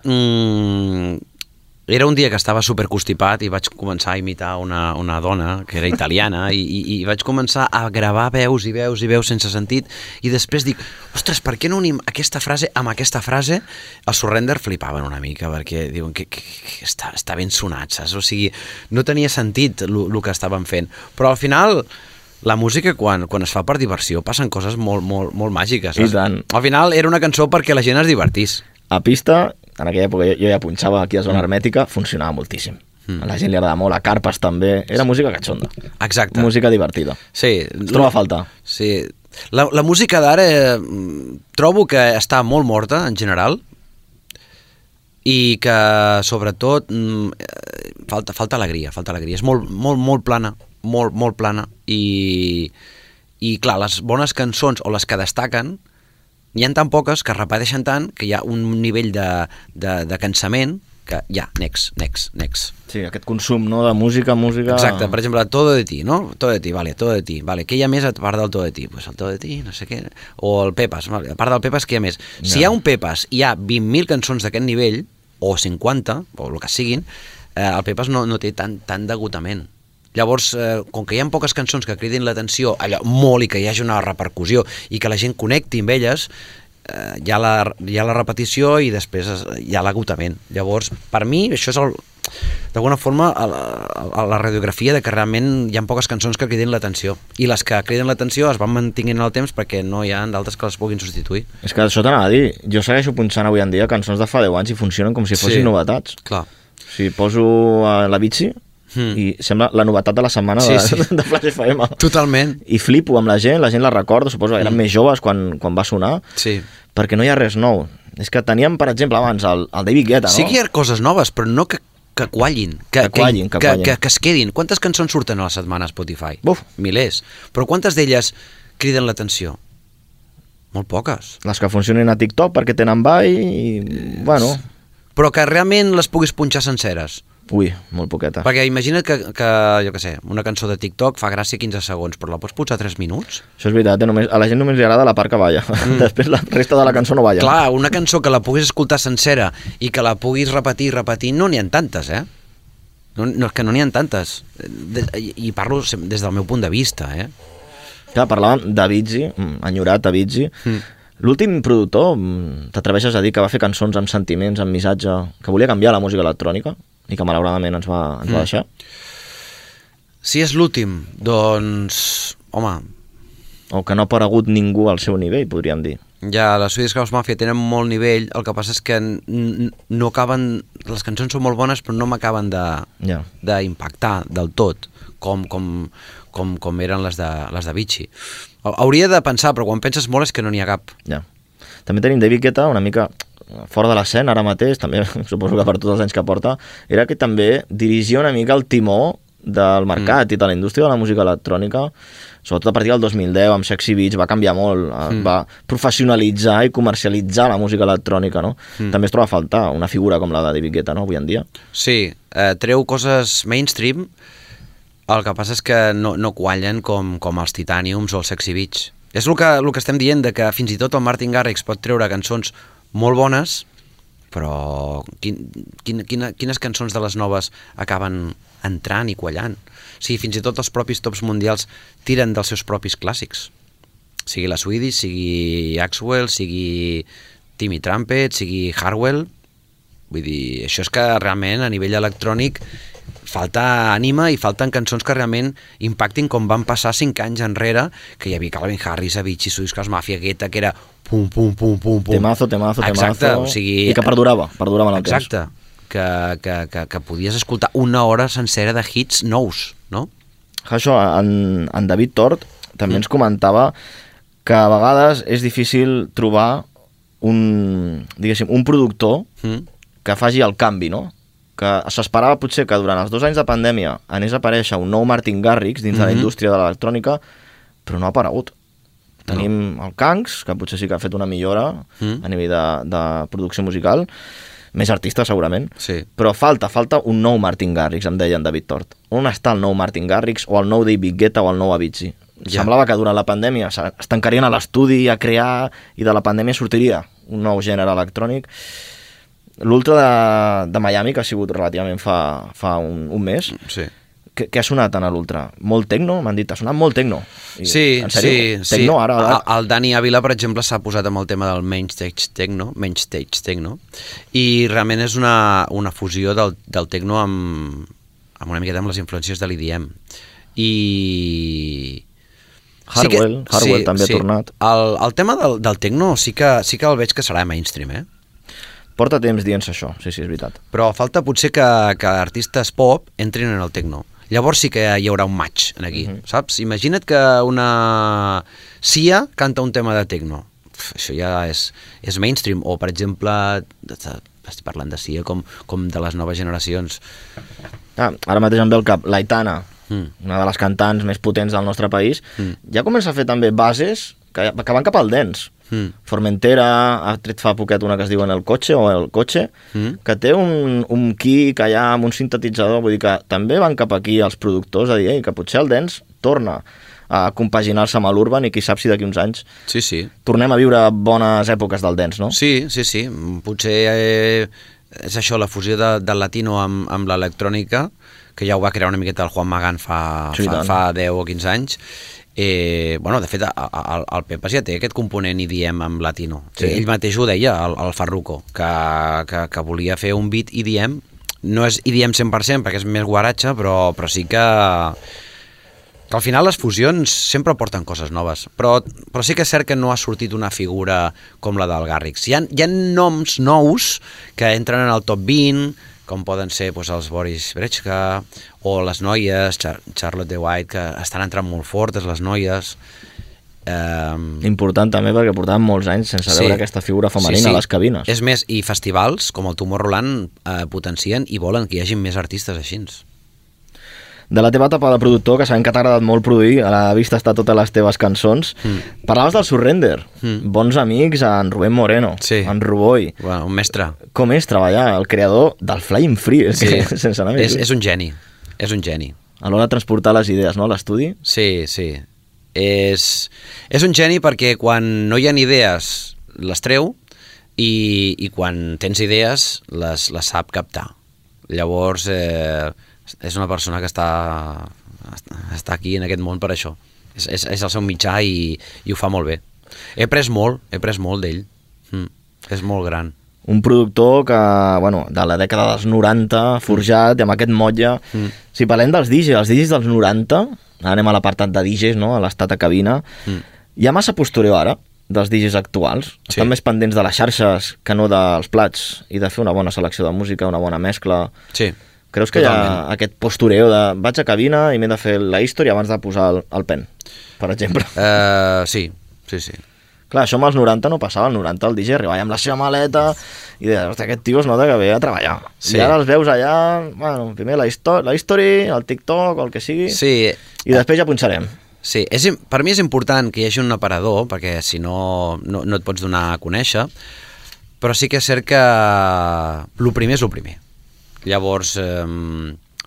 era un dia que estava superconstipat i vaig començar a imitar una dona que era italiana i vaig començar a gravar veus i veus i veus sense sentit i després dic, ostres, per què no unim aquesta frase amb aquesta frase? Els Surrender flipaven una mica perquè diuen que està ben sonat, saps? O sigui, no tenia sentit el que estaven fent, però al final la música quan es fa per diversió passen coses molt, molt, molt màgiques, saps? I tant. Al final era una cançó perquè la gent es divertís. A pista, en aquella època jo ja punxava aquí a Zona Hermètica, funcionava moltíssim. A la gent li agrada molt, a Carpes també. Era música catxonda. Exacte. Música divertida. Sí. Es troba a faltar. Sí. La música d'ara trobo que està molt morta, en general, i que, sobretot, falta alegria. És molt, molt, molt plana, molt, molt plana, i clar, les bones cançons, o les que destaquen, n'hi ha tan poques que es repeteixen tant que hi ha un nivell de cansament que ja, next. Sí, aquest consum, no?, de música... Exacte, per exemple, Todo de ti, no? Todo de ti, vale. Què hi ha més a part del Todo de ti? Pues el Todo de ti, no sé què... O el Pepas, vale. A part del Pepas, què hi ha més? No. Si hi ha un Pepas i hi ha 20.000 cançons d'aquest nivell, o 50, o el que siguin, el Pepas no té tant degotament. Llavors, com que hi ha poques cançons que cridin l'atenció allò molt i que hi hagi una repercussió i que la gent connecti amb elles, hi ha la repetició i després hi ha l'agotament. Llavors, per mi, això és d'alguna forma la radiografia de que realment hi ha poques cançons que cridin l'atenció, i les que criden l'atenció es van mantenint en el temps perquè no hi ha d'altres que les puguin substituir. És que això t'anava a dir, jo segueixo punxant avui en dia cançons de fa 10 anys i funcionen com si fossin novetats. Clar. Si poso la bici i sembla la novetat de la setmana de Flash FM. Totalment. I flipo amb la gent la recorda, suposo que eren més joves quan va sonar, perquè no hi ha res nou. És que teníem, per exemple, abans el David Guetta, no? Sí que hi ha coses noves, però no que quallin, que es quedin. Quantes cançons surten a la setmana a Spotify? Milers. Però quantes d'elles criden l'atenció? Molt poques. Les que funcionen a TikTok perquè tenen ball i... bueno... Però que realment les puguis punxar senceres. Ui, molt poqueta. Perquè imagina't que jo què sé, una cançó de TikTok fa gràcia 15 segons, però la pots posar 3 minuts? Això és veritat, a la gent només li agrada la part que balla. Després la resta de la cançó no balla. Clar, una cançó que la puguis escoltar sencera i que la puguis repetir, no n'hi ha tantes, No, que no n'hi ha tantes. I parlo des del meu punt de vista, Clar, parlàvem d'Avicii, enyorat Avicii. L'últim productor, t'atreveixes a dir que va fer cançons amb sentiments, amb missatge, que volia canviar la música electrònica i que malauradament ens va deixar? Si és l'últim, doncs... home... O que no ha aparegut ningú al seu nivell, podríem dir. Ja, les Swedish House Mafia tenen molt nivell, el que passa és que no acaben... Les cançons són molt bones, però no m'acaben d'impactar del tot, com eren les d'Avicii. Hauria de pensar, però quan penses molt és que no n'hi ha cap. Ja. També tenim David Guetta una mica fora de l'escena ara mateix, també suposo que per tots els anys que porta, era que també dirigia una mica el timó del mercat i de la indústria de la música electrònica, sobretot a partir del 2010 amb Sexy Beats va canviar molt, va professionalitzar i comercialitzar la música electrònica, no? També es troba a faltar una figura com la de David Guetta, no?, avui en dia. Sí, treu coses mainstream, el que passa és que no quallen com els Titaniums o els Sexy Beats. És el que estem dient, de que fins i tot el Martin Garrix pot treure cançons molt bones, però quines cançons de les noves acaben entrant i quallant? Sí, fins i tot els propis tops mundials tiren dels seus propis clàssics. Sigui la Swedish, sigui Axwell, sigui Timmy Trumpet, sigui Hardwell. Vull dir, això és que realment a nivell electrònic falta ànima i falten cançons que realment impactin com van passar 5 anys enrere, que hi havia Calvin Harris, Avicii, Swedish House Mafia, Guetta, que era pum, pum, pum, pum, pum. Temazo. Exacte, o sigui... I que perdurava en el temps. Exacte, que podies escoltar una hora sencera de hits nous, no? Això, en David Tort també ens comentava que a vegades és difícil trobar un productor que faci el canvi, no? Que s'esperava potser que durant els 2 anys de pandèmia anés a aparèixer un nou Martin Garrix dins de la indústria de l'electrònica, però no ha aparegut. Tenim el Kangs, que potser sí que ha fet una millora a nivell de producció musical, més artista segurament, però falta un nou Martin Garrix, em deia en David Tort. On està el nou Martin Garrix o el nou David Guetta o el nou Avicii? Semblava que durant la pandèmia es tancarien a l'estudi a crear i de la pandèmia sortiria un nou gènere electrònic. L'Ultra de Miami, que ha sigut relativament fa un mes, què ha sonat en l'Ultra? Molt tecno? M'han dit, ha sonat molt tecno. Sí, en sèrio? Tecno, ara? El Dani Ávila, per exemple, s'ha posat amb el tema del main stage techno, i realment és una fusió del tecno amb una miqueta amb les influències de l'EDM. I... Hardwell també ha tornat. El tema del tecno sí que el veig que serà mainstream, Porta temps dient-se això, sí, és veritat. Però falta potser que artistes pop entrin en el tecno. Llavors sí que hi haurà un match aquí, saps? Imagina't que una Sia canta un tema de tecno. Això ja és mainstream. O, per exemple, estic parlant de Sia com de les noves generacions. Ara mateix em ve al cap l'Aitana, una de les cantants més potents del nostre país, ja comença a fer també bases que van cap al dance. Formentera ha tret fa poquet una que es diu El Cotxe, que té un kick allà amb un sintetitzador, vull dir que també van cap aquí els productors a dir que potser el dance torna a compaginar-se amb l'urban i qui sap si d'aquí uns anys tornem a viure bones èpoques del dance, no? Sí, potser és això, la fusió del latino amb l'electrònica, que ja ho va crear una miqueta el Juan Magán fa 10 o 15 anys. De fet, el Pepas ja té aquest component EDM amb latino. Ell mateix ho deia, el Farruko, que volia fer un beat EDM. No és EDM 100% perquè és més guaratge, però sí que al final les fusions sempre porten coses noves. Però sí que és cert que no ha sortit una figura com la del Garrix. Hi ha noms nous que entren en el top 20, com poden ser doncs, els Boris Brejcha o les noies, Charlotte de White, que estan entrant molt fortes, les noies. Important també perquè portàvem molts anys sense veure aquesta figura femenina a les cabines. És més, i festivals com el Tomorrowland potencien i volen que hi hagi més artistes així. De la teva etapa de productor, que sabem que t'ha agradat molt produir, a la vista està totes les teves cançons, parlaves del Surrender, bons amics, en Rubén Moreno, en Ruboi. Bueno, un mestre. Com és treballar? El creador del Flying Free, sense anar més. És un geni, és un geni. A l'hora de transportar les idees, no?, a l'estudi? Sí. És un geni perquè quan no hi ha idees les treu i quan tens idees les sap captar. Llavors és una persona que està aquí en aquest món per això. És el seu mitjà i ho fa molt bé. He après molt d'ell. És molt gran. Un productor que, de la dècada dels 90, forjat, i amb aquest motlle... Si parlem dels DJs, els DJs dels 90, anem a l'apartat de DJs, no?, a l'estat a cabina, hi ha massa postureo ara dels DJs actuals. Estan més pendents de les xarxes que no dels plats i de fer una bona selecció de música, una bona mescla. Sí. Creus que totalment. Hi ha aquest postureo de vaig a cabina i m'he de fer la història abans de posar el pen, per exemple? Sí. Clar, això amb els 90 no passava. Al 90 el DJ arribava amb la seva maleta i deia, hòstia, aquest tio es nota que ve a treballar. Sí. I ara els veus allà, primer la història, el TikTok, el que sigui, i després ja punxarem. Sí, per mi és important que hi hagi un aparador, perquè si no et pots donar a conèixer, però sí que és cert que el primer és el primer. Llavors,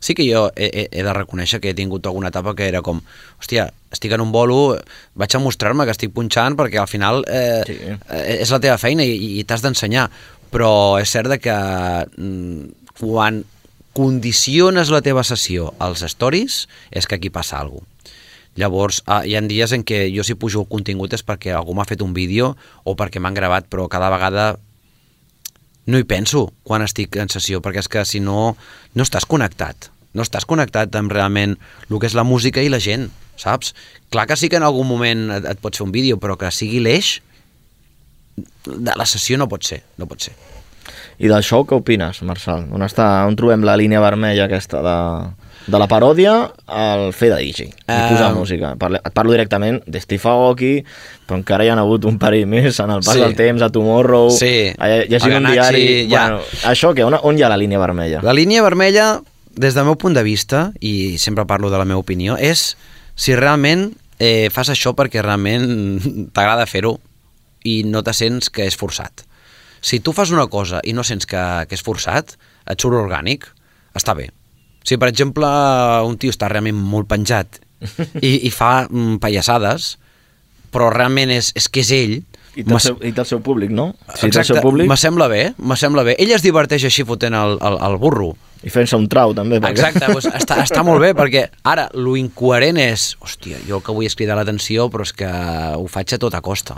sí que jo he de reconèixer que he tingut alguna etapa que era com, hòstia, estic en un bolo, vaig a mostrar-me que estic punxant perquè al final és la teva feina i t'has d'ensenyar. Però és cert que quan condiciones la teva sessió als stories és que aquí passa alguna cosa. Llavors, hi ha dies en què jo si pujo el contingut és perquè algú m'ha fet un vídeo o perquè m'han gravat, però cada vegada no hi penso quan estic en sessió, perquè és que si no estàs connectat. No estàs connectat amb realment el que és la música i la gent, saps? Clar que sí que en algun moment et pots fer un vídeo, però que sigui l'eix de la sessió no pot ser. I del show què opines, Marçal? On trobem la línia vermella aquesta de la paròdia al fer de DJ i posar música? Et parlo directament de Steve Aoki, però encara hi ha hagut un parell més en el pas del temps, a Tomorrow, llegint un diari... Això què? On hi ha la línia vermella? La línia vermella, des del meu punt de vista, i sempre parlo de la meva opinió, és si realment fas això perquè realment t'agrada fer-ho i no te sents que és forçat. Si tu fas una cosa i no sents que és forçat, et surt orgànic, està bé. Si, per exemple, un tio està realment molt penjat i fa pallassades, però realment és que és ell... I té el seu públic, no? Exacte, me sembla bé. Ell es diverteix així fotent el burro. I fent-se un trau, també. Exacte, doncs està molt bé, perquè ara, lo incoherent és... Hòstia, jo que vull cridar l'atenció, però és que ho faig a tota costa.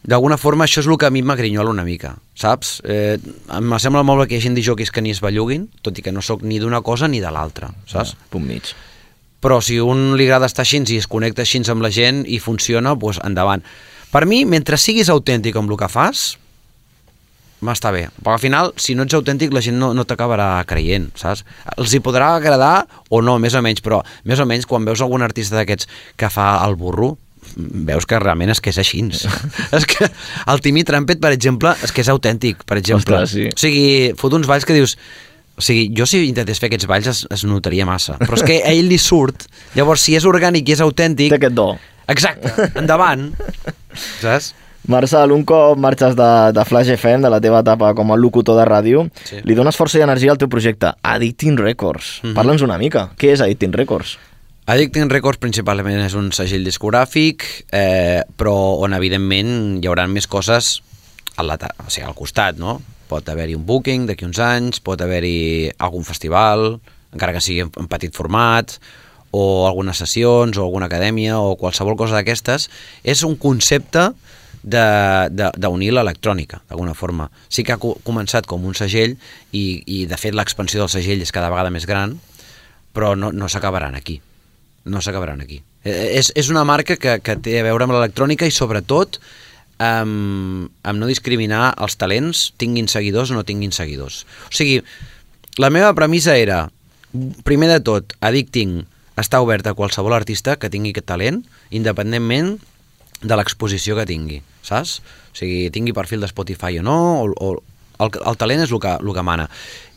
D'alguna forma això és el que a mi m'agrinyola una mica, saps? Em sembla molt bé que hi hagi DJs que ni es belluguin, tot i que no sóc ni d'una cosa ni de l'altra, saps? Punt mig. Però si un li agrada estar així i es connecta així amb la gent i funciona, doncs endavant. Per mi, mentre siguis autèntic amb el que fas, m'està bé. Perquè al final, si no ets autèntic, la gent no t'acabarà creient, saps? Els hi podrà agradar o no, més o menys, però més o menys quan veus algun artista d'aquests que fa el burro, veus que realment és que és així. És que el Timmy Trumpet, per exemple, és que és autèntic, per exemple. Ostres, sí. O sigui, fot uns balls que dius... O sigui, jo si intentés fer aquests balls es notaria massa. Però és que a ell li surt. Llavors, si és orgànic i és autèntic... Té aquest do. Exacte, endavant. Saps? Marçal, un cop marxes de Flash FM, de la teva etapa com a locutor de ràdio, li dones força i energia al teu projecte, Addicting Records. Parla'ns una mica. Què és Addicting Records? Addicting Records principalment és un segell discogràfic, però on evidentment hi haurà més coses al costat, no? Pot haver-hi un booking d'aquí uns anys, pot haver-hi algun festival, encara que sigui en petit format, o algunes sessions, o alguna acadèmia, o qualsevol cosa d'aquestes. És un concepte d'unir l'electrònica, d'alguna forma. Sí que ha començat com un segell i de fet l'expansió del segell és cada vegada més gran, però no s'acabaran aquí. No s'acabaran aquí. És una marca que té a veure amb l'electrònica i sobretot amb no discriminar els talents, tinguin seguidors o no tinguin seguidors. O sigui, la meva premissa era, primer de tot, Addicting està obert a qualsevol artista que tingui aquest talent, independentment de l'exposició que tingui, saps? O sigui, tingui perfil de Spotify o no, o el talent és el que mana.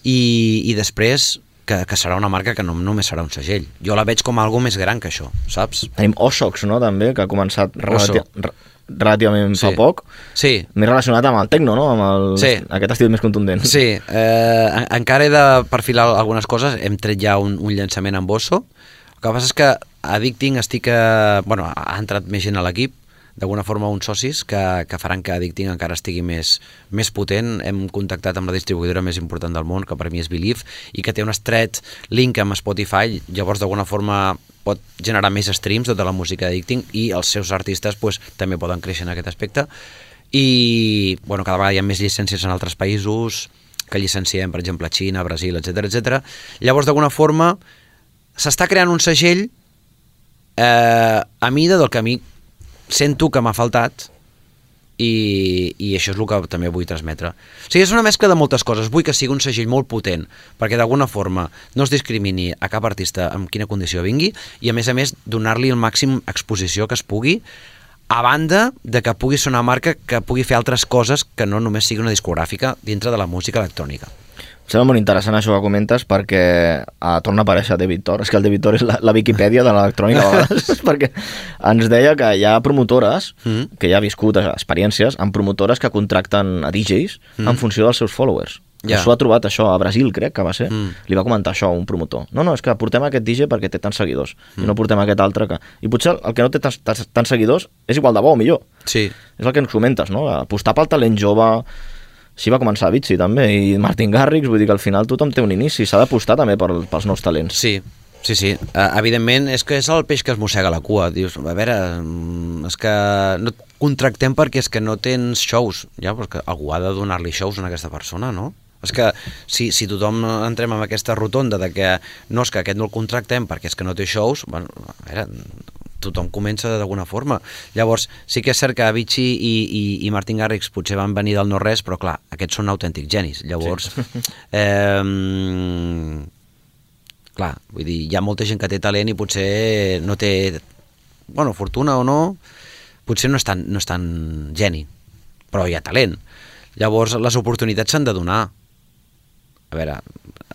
I després, que serà una marca que no només serà un segell. Jo la veig com algo més gran que això, saps? Tenim Osox, no?, també, que ha començat relativament fa poc. Sí. Més relacionat amb el techno, no?, amb aquest estil més contundent. Sí, encara he de perfilar algunes coses. Hem tret ja un llançament amb Osso. El que passa és que Addicting ha entrat més gent a l'equip, d'alguna forma uns socis que faran que Addicting encara estigui més potent. Hem contactat amb la distribuïdora més important del món, que per mi és Believe, i que té un estret link amb Spotify, llavors d'alguna forma pot generar més streams de la música d'Addicting i els seus artistes també poden créixer en aquest aspecte. I cada vegada hi ha més llicències en altres països que llicenciem, per exemple, Xina, Brasil, etc. Llavors, d'alguna forma, s'està creant un segell a mida del que a mi sento que m'ha faltat i això és el que també vull transmetre. O sigui, és una mescla de moltes coses. Vull que sigui un segell molt potent perquè d'alguna forma no es discrimini a cap artista amb quina condició vingui i a més donar-li el màxim exposició que es pugui, a banda de que pugui ser una marca que pugui fer altres coses que no només sigui una discogràfica dintre de la música electrònica. Em sembla molt interessant això que comentes perquè torna a aparèixer David Thor. És que el David Thor és la Viquipèdia de l'electrònica a vegades, perquè ens deia que hi ha promotores, que ja ha viscut experiències, amb promotores que contracten a DJs en funció dels seus followers. Això ha trobat això a Brasil, crec que va ser. Li va comentar això a un promotor. No, és que portem aquest DJ perquè té tants seguidors i no portem aquest altre que... I potser el que no té tants seguidors és igual de bo o millor. Sí. És el que ens comentes, no? Apostar pel talent jove... Així va començar Avicii també, i Martin Garrix, vull dir que al final tothom té un inici, s'ha d'apostar també pels nous talents. Sí. Evidentment, és que és el peix que es mossega la cua. Dius, a veure, és que no et contractem perquè és que no tens shows. Ja, però que algú ha de donar-li shows a aquesta persona, no? És que si tothom entrem en aquesta rotonda de que no, és que aquest no el contractem perquè és que no té shows, bueno, a veure... tothom comença d'alguna forma. Llavors, sí que és cert que Avicii i Martin Garrix potser van venir del no-res, però clar, aquests són autèntics genis. Llavors, clar, vull dir, hi ha molta gent que té talent i potser no té, fortuna o no, potser no és tan geni, però hi ha talent. Llavors, les oportunitats s'han de donar. A veure,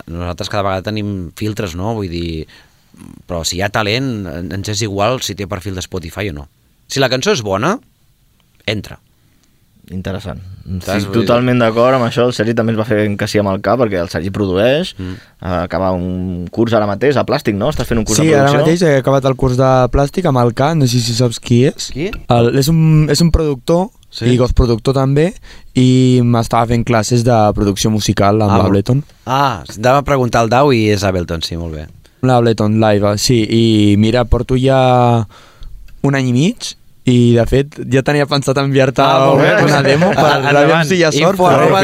nosaltres cada vegada tenim filtres, no? Vull dir... però si hi ha talent ens és igual si té perfil de Spotify o no. Si la cançó és bona, entra. Interessant. Estic totalment d'acord amb això. El Sergi també ens va fer encasir amb el cap perquè el Sergi produeix, acaba un curs ara mateix a Plàstic, no? Estàs fent un curs de producció? Sí, ara mateix he acabat el curs de Plàstic amb el K, no sé si saps qui és. Qui? És un productor, i postproductor també, i m'estava fent classes de producció musical amb l'Ableton. Anava a preguntar al Dau i és Ableton, sí, molt bé. L'Ableton Live, sí, i mira, porto ja un any i mig i de fet ja tenia pensat enviar-te una demo per veure si hi ha sort, però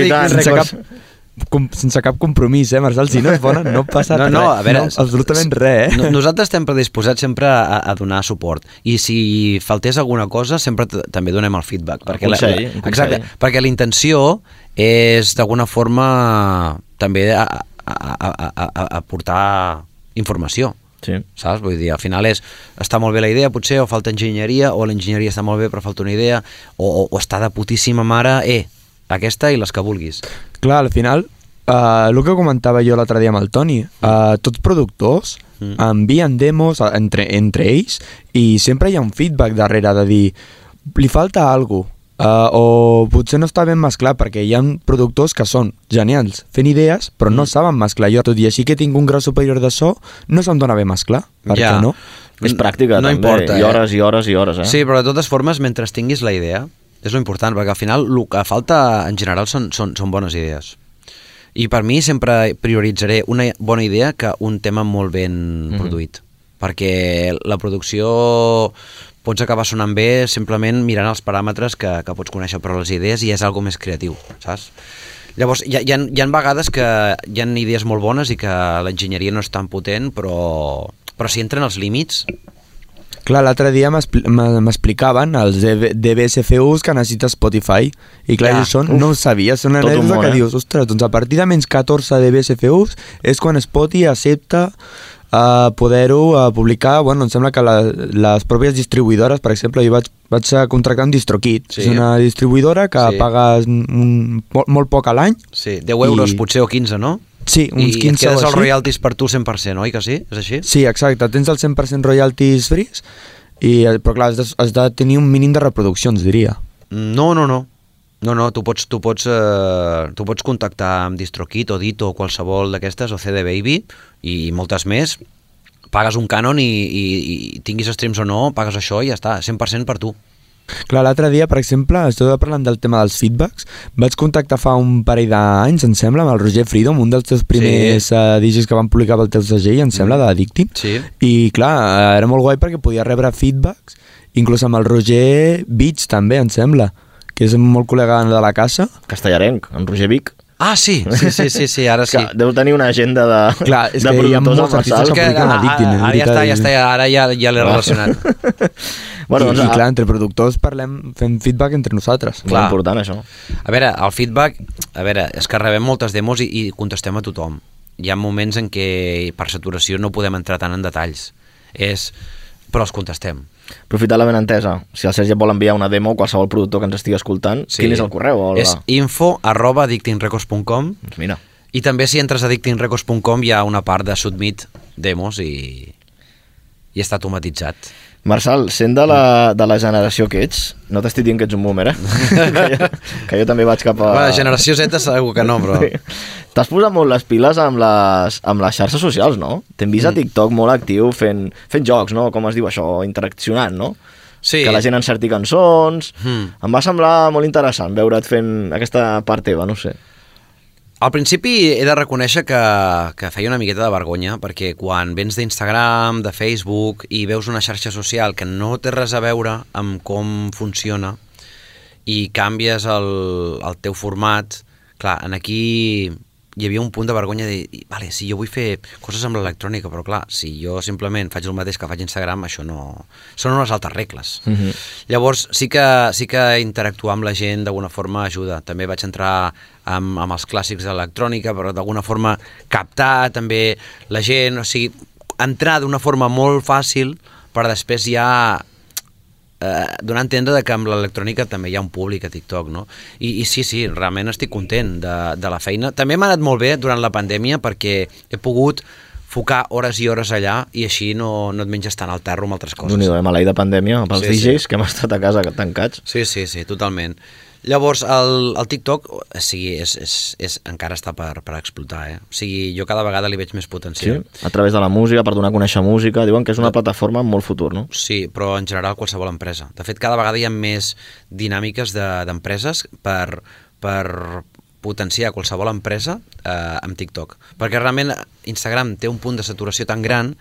sense cap compromís, Marçal, si no és bona no passa res, a veure, absolutament res. Nosaltres estem predisposats sempre a donar suport i si faltés alguna cosa sempre també donem el feedback, exacte, perquè la intenció és d'alguna forma també aportar informació, saps? Vull dir, al final està molt bé la idea potser, o falta enginyeria, o l'enginyeria està molt bé però falta una idea, o està de putíssima mare, aquesta i les que vulguis. Clar, al final, el que comentava jo l'altre dia amb el Toni, tots productors envien demos entre ells i sempre hi ha un feedback darrere de dir, li falta alguna cosa, o potser no està ben mesclat perquè hi ha productors que són genials fent idees però no saben mesclar. Jo tot i així que tinc un grau superior de so no se'm dona bé mesclar, perquè no? És pràctica no també, importa, i hores i hores i hores. Sí, però de totes formes mentre tinguis la idea és lo important, perquè al final el que falta en general són bones idees i per mi sempre prioritzaré una bona idea que un tema molt ben produït, perquè la producció pots acabar sonant bé simplement mirant els paràmetres que pots conèixer, però les idees ja és algo més creatiu, saps? Llavors, hi ha vegades que hi ha idees molt bones i que l'enginyeria no és tan potent, però si entren els límits... Clar, l'altre dia m'explicaven els DBSFUs que necessita Spotify. I clar, això no ho sabia, són anècdotes que dius, ostres, doncs a partir de menys 14 DBSFUs és quan Spotify accepta poder-ho publicar. Bueno, em sembla que les pròpies distribuïdores, per exemple, jo vaig contractar amb DistroKid. És una distribuïdora que pagues molt poc a l'any. Sí, 10 euros potser o 15, no? Sí, uns 15 o així. I et quedes els royalties per tu 100%, oi que sí? És així? Sí, exacte, tens el 100% royalties free, però clar, has de tenir un mínim de reproduccions, diria. No, tu pots contactar amb DistroKid o Dito o qualsevol d'aquestes, o CD Baby, i moltes més, pagues un cànon i tinguis streams o no, pagues això i ja està, 100% per tu. Clar, l'altre dia, per exemple, estava parlant del tema dels feedbacks, vaig contactar fa un parell d'anys, em sembla, amb el Roger Freedom, un dels teus primers DJs que van publicar pel teu segell, em sembla, d'Addicting, i clar, era molt guai perquè podia rebre feedbacks, inclús amb el Roger Beach també, em sembla, que és molt col·lega de la casa. Castellarenc, en Roger Vic. Ah, sí, ara sí. Deu tenir una agenda de productors. Clar, és que hi ha molts artistes que publiquen Addicting. Ara ja l'he relacionat. Bueno, I clar, entre productors fem feedback entre nosaltres. Molt important, això. A veure, el feedback, és que rebem moltes demos i contestem a tothom. Hi ha moments en què per saturació no podem entrar tant en detalls. Però els contestem. Aprofitar la benentesa. Si el Sergi vol enviar una demo a qualsevol productor que ens estigui escoltant, quin és el correu? És info@addictingrecords.com. Mira. I també si entres a addictingrecords.com hi ha una part de submit demos i està automatitzat. Marçal, sent de la generació que ets, no t'estic dient que ets un boomer, que jo també vaig cap a... Bueno, generació Z segur que no, però... T'has posat molt les piles amb les xarxes socials, no? T'hem vist a TikTok molt actiu fent jocs, no? Com es diu això? Interaccionant, no? Sí. Que la gent encerti cançons... Em va semblar molt interessant veure't fent aquesta part teva, no sé. Al principi he de reconèixer que feia una miqueta de vergonya, perquè quan vens d'Instagram, de Facebook, i veus una xarxa social que no té res a veure amb com funciona i canvies el teu format, clar, aquí hi havia un punt de vergonya de dir, vale, si jo vull fer coses amb l'electrònica, però clar, si jo simplement faig el mateix que faig a Instagram, això no... Són unes altres regles. Llavors, sí que interactuar amb la gent d'alguna forma ajuda. També vaig entrar amb els clàssics de l'electrònica, però d'alguna forma captar també la gent, o sigui, entrar d'una forma molt fàcil per després ja donar a entendre que amb l'electrònica també hi ha un públic a TikTok, no? I sí, realment estic content de la feina. També m'ha anat molt bé durant la pandèmia perquè he pogut focar hores i hores allà i així no et menges tant el terro amb altres coses. Déu-n'hi-do, maleïda pandèmia pels DJs que hem estat a casa tancats. Sí, totalment. Llavors, el TikTok encara està per explotar, O sigui, jo cada vegada li veig més potencial. Sí, a través de la música, per donar a conèixer música, diuen que és una plataforma amb molt futur, no? Sí, però en general qualsevol empresa. De fet, cada vegada hi ha més dinàmiques d'empreses per potenciar qualsevol empresa amb TikTok. Perquè realment Instagram té un punt de saturació tan gran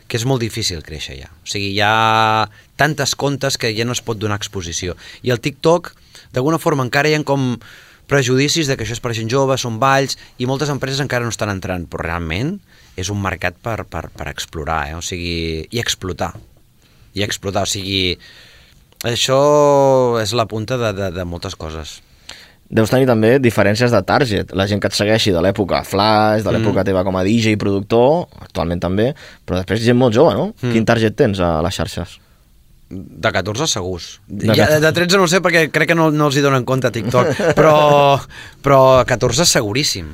que és molt difícil créixer ja. O sigui, hi ha tantes comptes que ja no es pot donar exposició. I el TikTok, d'alguna forma, encara hi ha com prejudicis de que això és per gent jove, són balls, i moltes empreses encara no estan entrant, però realment és un mercat per explorar, o sigui, i explotar. O sigui, això és la punta de moltes coses. Deus tenir també diferències de target. La gent que et segueixi de l'època Flash, de l'època teva com a DJ i productor, actualment també, però després gent molt jove, no? Quin target tens a les xarxes? De 14 segurs. De 13 no sé perquè crec que no els hi donen compte a TikTok, però 14 seguríssim.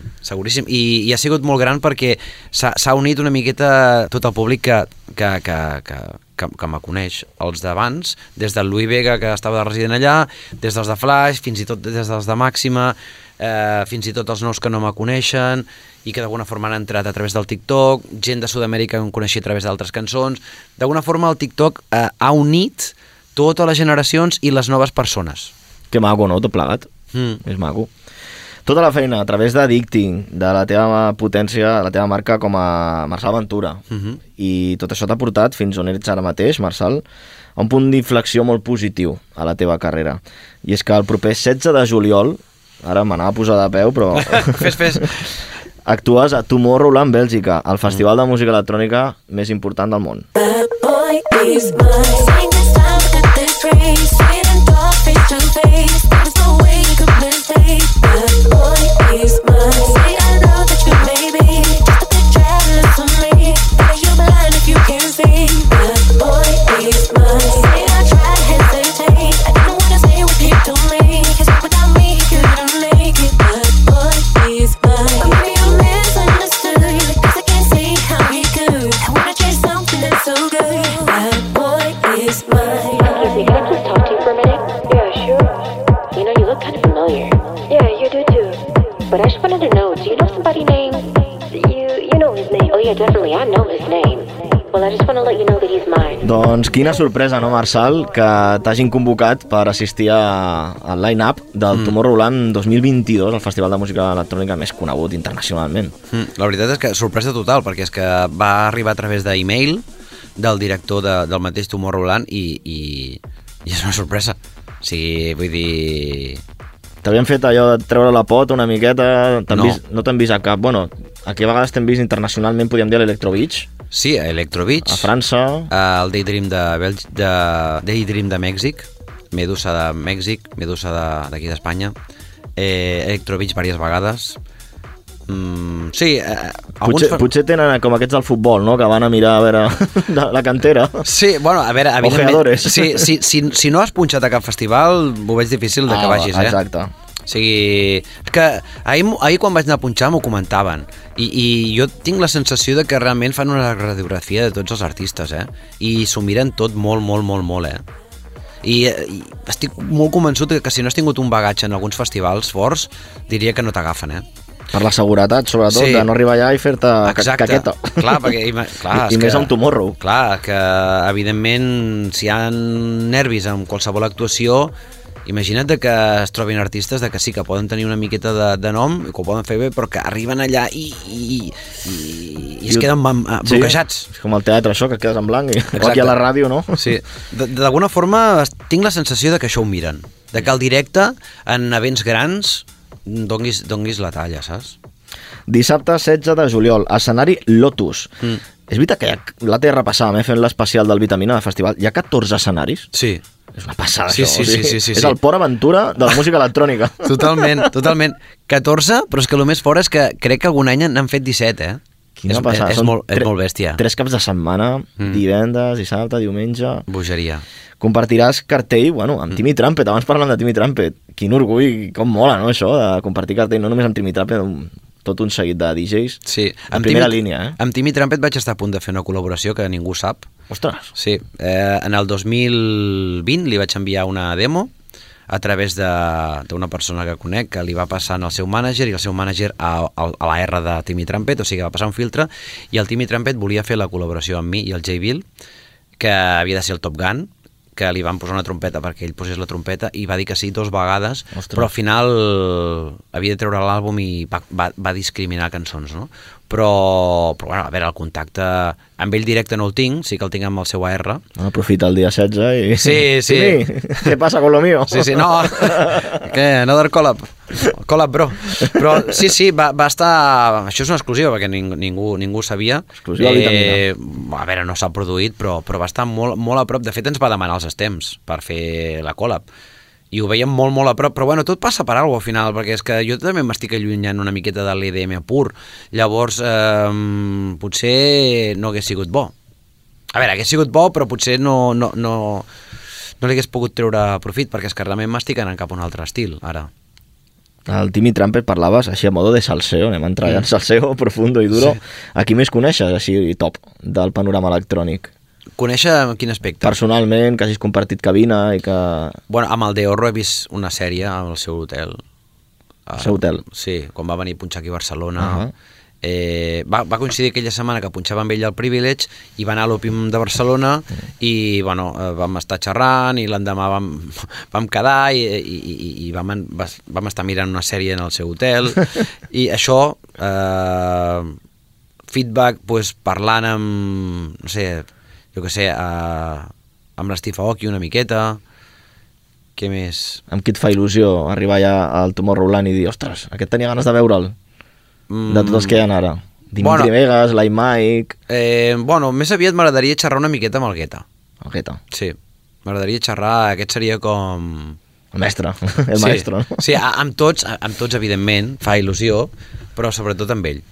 I ha sigut molt gran perquè s'ha unit una miqueta tot el públic que me coneix, els d'abans, des del Louis Vega, que estava de resident allà, des dels de Flash, fins i tot des dels de Màxima, fins i tot els nous que no me coneixen i que d'alguna forma han entrat a través del TikTok, gent de Sud-amèrica que em coneixia a través d'altres cançons. D'alguna forma el TikTok ha unit totes les generacions i les noves persones. Que maco, no? Tot plegat. És maco. Tota la feina a través d'Addicting, de la teva potència, la teva marca com a Marçal Ventura. I tot això t'ha portat fins on ets ara mateix, Marçal, a un punt d'inflexió molt positiu a la teva carrera. I és que el proper 16 de juliol, ara m'anava a posar de peu, però... Fes. Actues a Tomorrowland, Bèlgica, el festival de música electrònica més important del món. is mine. Saying this time, but this phrase, say it and talk face to face. There's no way you could mistake. That boy is mine. Say I know that you may be just a bit jealous of me. Better you blind if you can't see. That boy is mine. Say I try to hesitate. I didn't wanna say what you told me. 'Cause without me you couldn't make it. That boy is mine. But maybe you misunderstood. 'Cause I can't see how he could. I wanna chase something that's so good. That boy is mine. Excuse me, can I please talk to you for a minute? Yeah, sure. You know, you look kind of familiar. Yeah, you do too. But I just wanted to know, do you know somebody named... You know his name. Oh yeah, definitely, I know his name. Well, I just want to let you know that he's mine. Doncs quina sorpresa, no, Marçal, que t'hagin convocat per assistir al line-up del Tomorrowland 2022, el festival de música electrònica més conegut internacionalment. La veritat és que sorpresa total, perquè és que va arribar a través d'e-mail del director del mateix Tomorrowland i és una sorpresa. O sigui, vull dir... T'havien fet allò de treure la pota una miqueta, No. No t'han vist a cap... Bueno, aquí a vegades t'hem vist internacionalment, podríem dir, a l'Electro Beach, Sí, a Electro Beach, a França... el Daydream Daydream de Mèxic, Medusa de Mèxic, Medusa d'aquí d'Espanya, Electro Beach diverses vegades. Sí, Potser tenen com aquests del futbol, no?, que van a mirar a veure la cantera. Sí, bueno, a veure, Ojeadores. si no has punxat a cap festival, ho veig difícil que vagis, Exacte. O sigui, és que ahir quan vaig anar a punxar m'ho comentaven i jo tinc la sensació de que realment fan una radiografia de tots els artistes, i s'ho miren tot molt, I estic molt convençut que si no has tingut un bagatge en alguns festivals forts, diria que no t'agafen, Per la seguretat, sobretot, Sí. de no arribar allà i fer-te Exacte. caqueta. Clar, perquè I més a un Tomorrow. Clar, que evidentment si hi ha nervis amb qualsevol actuació, imagina't que es trobin artistes de que sí, que poden tenir una miqueta de nom, que ho poden fer bé, però que arriben allà i es queden bloquejats. Sí, és com el teatre, això, que quedes en blanc, o aquí a la ràdio, no? Sí, d'alguna forma tinc la sensació de que això ho miren, de que el directe en events grans donguis la talla, saps? Dissabte 16 de juliol, escenari Lotus. És veritat que la té repassada, fent l'especial del Vitamina de festival. Hi ha 14 escenaris? Sí. És una passada, Sí, això. sí. És el Port Aventura de la música electrònica. Totalment. 14, però és que el més fort és que crec que algun any n'han fet 17, Quina passada. És molt bèstia. 3 caps de setmana, divendres, dissabte, diumenge... Bogeria. Compartiràs cartell, amb Timmy Trumpet. Abans parlant de Timmy Trumpet. Quin orgull, com mola, no, això, de compartir cartell, no només amb Timmy Trumpet, tot un seguit de DJs. Sí. En primera línia, Amb Timmy Trumpet vaig estar a punt de fer una col·laboració que ningú sap. Ostres! Sí. En el 2020 li vaig enviar una demo a través d'una persona que conec, que li va passar al seu mànager, i el seu mànager a la R de Timmy Trumpet, o sigui que va passar un filtre, i el Timmy Trumpet volia fer la col·laboració amb mi i el J. Bill, que havia de ser el Top Gun, que li van posar una trompeta perquè ell posés la trompeta, i va dir que sí 2 vegades. Ostres. Però al final havia de treure l'àlbum i va discriminar cançons, no? Però bueno, a veure, el contacte amb ell directe no el tinc, sí que el tinc amb el seu AR. Aprofita el dia 16 i... Sí. Què passa con lo mío? Sí, no. Què? Another collab? Collab, bro. Però sí, va estar... Això és una exclusiva, perquè ningú sabia. Exclusiva Vitamina. A veure, no s'ha produït, però va estar molt a prop. De fet, ens va demanar els temps per fer la collab. I ho veiem molt a prop, però bueno, tot passa per alguna cosa al final, perquè és que jo també m'estic allunyant una miqueta de l'EDM pur. Llavors, potser no hagués sigut bo. A veure, hagués sigut bo, però potser no li hagués pogut treure profit, perquè és que realment m'estic anant cap a un altre estil, ara. El Timmy Trumpet parlaves així a modo de salseo, anem a entrar en salseo profundo i duro. Sí. A qui més coneixes, així, top, del panorama electrònic? Conèixer en quin aspecte? Personalment, que hagis compartit cabina i que... Bueno, amb el Deorro he vist una sèrie al seu hotel. Al seu hotel? Sí, quan va venir a punxar aquí a Barcelona. Va coincidir aquella setmana que punxava amb ell al Privilege i va anar a l'Òpium de Barcelona i bueno, vam estar xerrant i l'endemà vam quedar i vam estar mirant una sèrie en el seu hotel i això feedback parlant amb no sé, jo què sé amb l'Steve Aoki una miqueta. Què més? Amb qui et fa il·lusió arribar ja al Tomorrowland i dir, ostres, aquest tenia ganes de veure'l? De tots els que hi ha ara. Dimitri Vegas, Like Mike... Bueno, més aviat m'agradaria xerrar una miqueta amb el Guetta. el Guetta. Sí, m'agradaria xerrar, aquest seria com... El mestre, el maestro. No? Sí, amb tots, evidentment, fa il·lusió, però sobretot amb ell.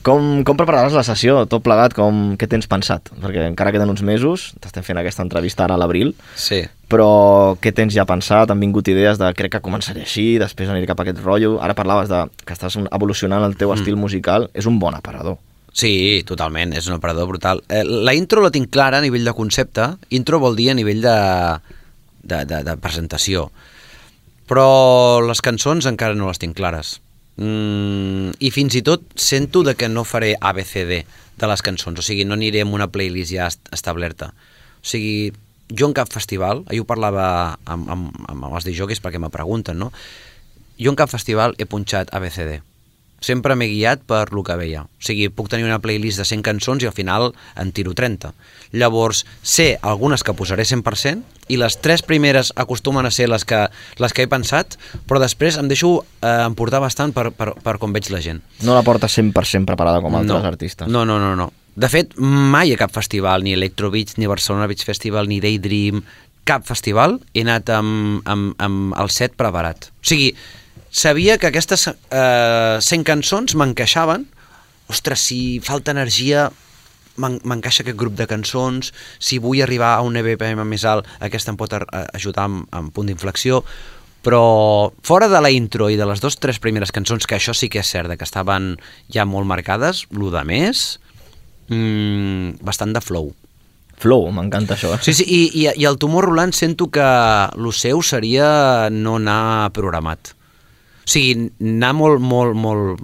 Com prepararàs la sessió, tot plegat, què tens pensat? Perquè encara queden uns mesos, t'estem fent aquesta entrevista ara a l'abril, sí. Però què tens ja pensat? Han vingut idees de crec que començaré així, després aniré cap a aquest rotllo, ara parlaves de que estàs evolucionant el teu estil musical, és un bon aparador. Sí, totalment, és un aparador brutal. La intro la tinc clara a nivell de concepte, intro vol dir a nivell de presentació, però les cançons encara no les tinc clares. I fins i tot sento de que no faré ABCD de les cançons, o sigui, no aniré amb una playlist ja establerta. O sigui, jo en cap festival, ahir ho parlava amb els DJs perquè me pregunten, no? Jo en cap festival he punxat ABCD. Sempre m'he guiat per lo que veia. O sigui, puc tenir una playlist de 100 cançons i al final en tiro 30. Llavors, sé algunes que posaré 100% i les 3 primeres acostumen a ser les que he pensat, però després em deixo emportar bastant per com veig la gent. No la portes 100% preparada com altres artistes. No. De fet, mai a cap festival, ni Electro Beach, ni Barcelona Beach Festival, ni Daydream, cap festival he anat amb el set preparat. O sigui, sabia que aquestes 100 cançons m'encaixaven. Ostres, si falta energia, m'encaixa aquest grup de cançons. Si vull arribar a un BPM més alt, aquesta em pot ajudar amb punt d'inflexió. Però fora de la intro i de les 2-3 primeres cançons, que això sí que és cert, que estaven ja molt marcades, lo de més, bastant de flow. Flow, m'encanta això. Sí, i el Tomorrowland sento que lo seu seria no anar programat. O sigui, anar molt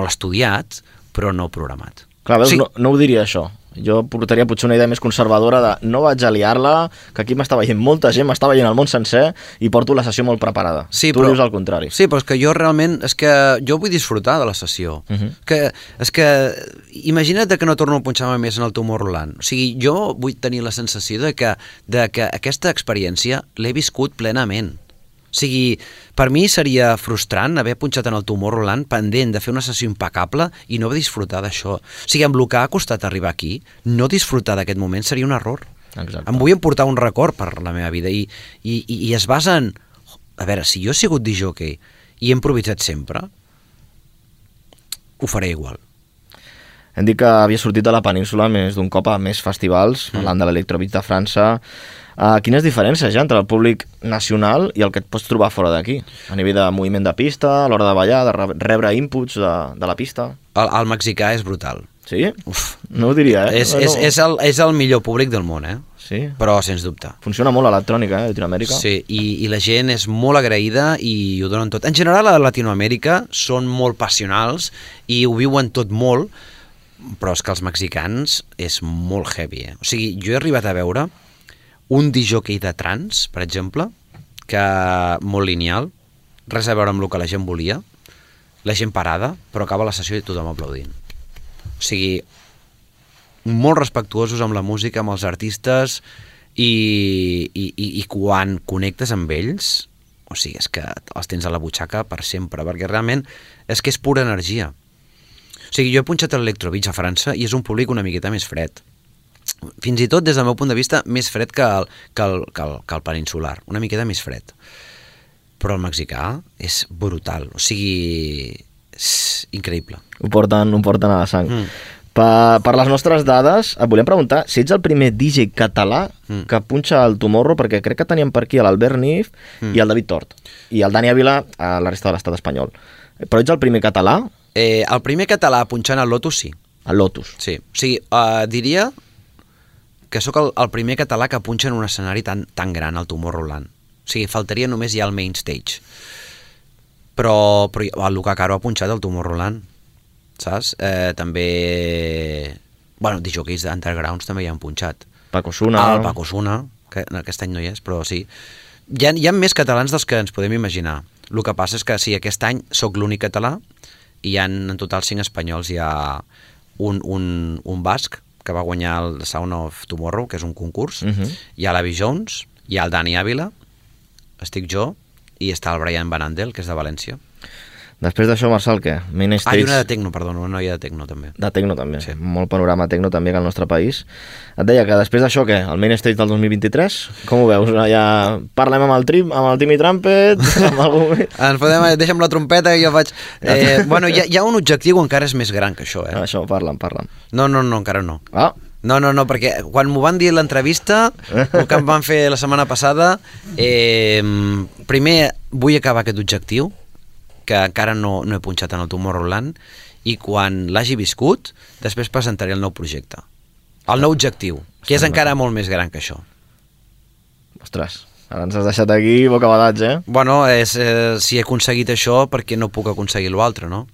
estudiat, però no programat. Clar, veus, no ho diria això. Jo portaria potser una idea més conservadora de no vaig a liar-la, que aquí m'està veient molta gent, m'està veient el món sencer i porto la sessió molt preparada. Sí, tu dius al contrari. Sí, però és que jo realment, jo vull disfrutar de la sessió. És que imagina't que no torno a punxar-me més en el Tomorrowland. O sigui, jo vull tenir la sensació de que aquesta experiència l'he viscut plenament. O sigui, per mi seria frustrant haver punxat en el Tomorrowland pendent de fer una sessió impecable i no disfrutar d'això. O sigui, amb el que ha costat arribar aquí, no disfrutar d'aquest moment seria un error. Exacte. Em vull emportar un record per la meva vida i es basa en... A veure, si jo he sigut disjockey i he improvisat sempre, ho faré igual. Hem dit que havia sortit de la península més d'un cop a més festivals, parlant de l'Electro Beach de França. Quines diferències hi ha entre el públic nacional i el que et pots trobar fora d'aquí? A nivell de moviment de pista, a l'hora de ballar, de rebre inputs de la pista? El mexicà és brutal. Sí? Uf, no ho diria, És el millor públic del món, Sí? Però sens dubte. Funciona molt a Electrònica, a Latinoamèrica. Sí, i la gent és molt agraïda i ho donen tot. En general, a Latinoamèrica són molt passionals i ho viuen tot molt, però és que els mexicans és molt heavy. O sigui, jo he arribat a veure un disjockey de trance, per exemple, que molt lineal, res a veure amb el que la gent volia, la gent parada, però acaba la sessió i tothom aplaudint. O sigui, molt respectuosos amb la música, amb els artistes, i quan connectes amb ells, o sigui, és que els tens a la butxaca per sempre, perquè realment és que és pura energia. O sigui, jo he punxat l'Electro Beach a França i és un públic una miqueta més fred. Fins i tot, des del meu punt de vista, més fred que el peninsular. Una miqueta més fred. Però el mexicà és brutal. O sigui, és increïble. Ho porten a la sang. Per les nostres dades, et volem preguntar si ets el primer DJ català que punxa el Tomorrow, perquè crec que teníem per aquí l'Albert Nif i el David Tort. I el Dani Ávila a la resta de l'estat espanyol. Però ets el primer català? El primer català punxant al Lotus, sí. Al Lotus? Sí. O sigui, diria que sóc el primer català que punxa en un escenari tan gran, al Tomorrowland. O sigui, faltaria només ja el main stage. Però el Luca Caro ha punxat al Tomorrowland, saps? També... Bueno, DJs d'Undergrounds també hi han punxat. Paco Suna. El Paco Suna, que aquest any no hi és, però sí. Hi ha més catalans dels que ens podem imaginar. El que passa és que sí, aquest any sóc l'únic català i hi ha en total 5 espanyols. Hi ha un basc que va guanyar el Sound of Tomorrow, que és un concurs. Hi ha l'Avi Jones, hi ha el Dani Ávila, estic jo, i està el Brian Van Andel, que és de València. Després d'això, Marçal, què? Main I Stage... una de Tecno, perdona, una noia de Tecno, també. De Tecno, també. Sí. Molt panorama Tecno, també, que al nostre país. Et deia que després d'això, què? El Main Stage del 2023? Com ho veus? Ja parlem amb el Timmy Trumpet, amb algú... Deixa'm la trompeta i jo faig... Bueno, hi ha un objectiu encara és més gran que això, Això, parla'm. No, encara no. Ah, No, perquè quan m'ho van dir a l'entrevista, el que em van fer la setmana passada, primer vull acabar aquest objectiu, que encara no he punxat en el Tomorrowland, i quan l'hagi viscut, després presentaré el nou projecte. El nou objectiu, que és encara molt més gran que això. Ostres, ara ens has deixat aquí bocabadats, Bueno, si he aconseguit això, perquè no puc aconseguir l'altre, no?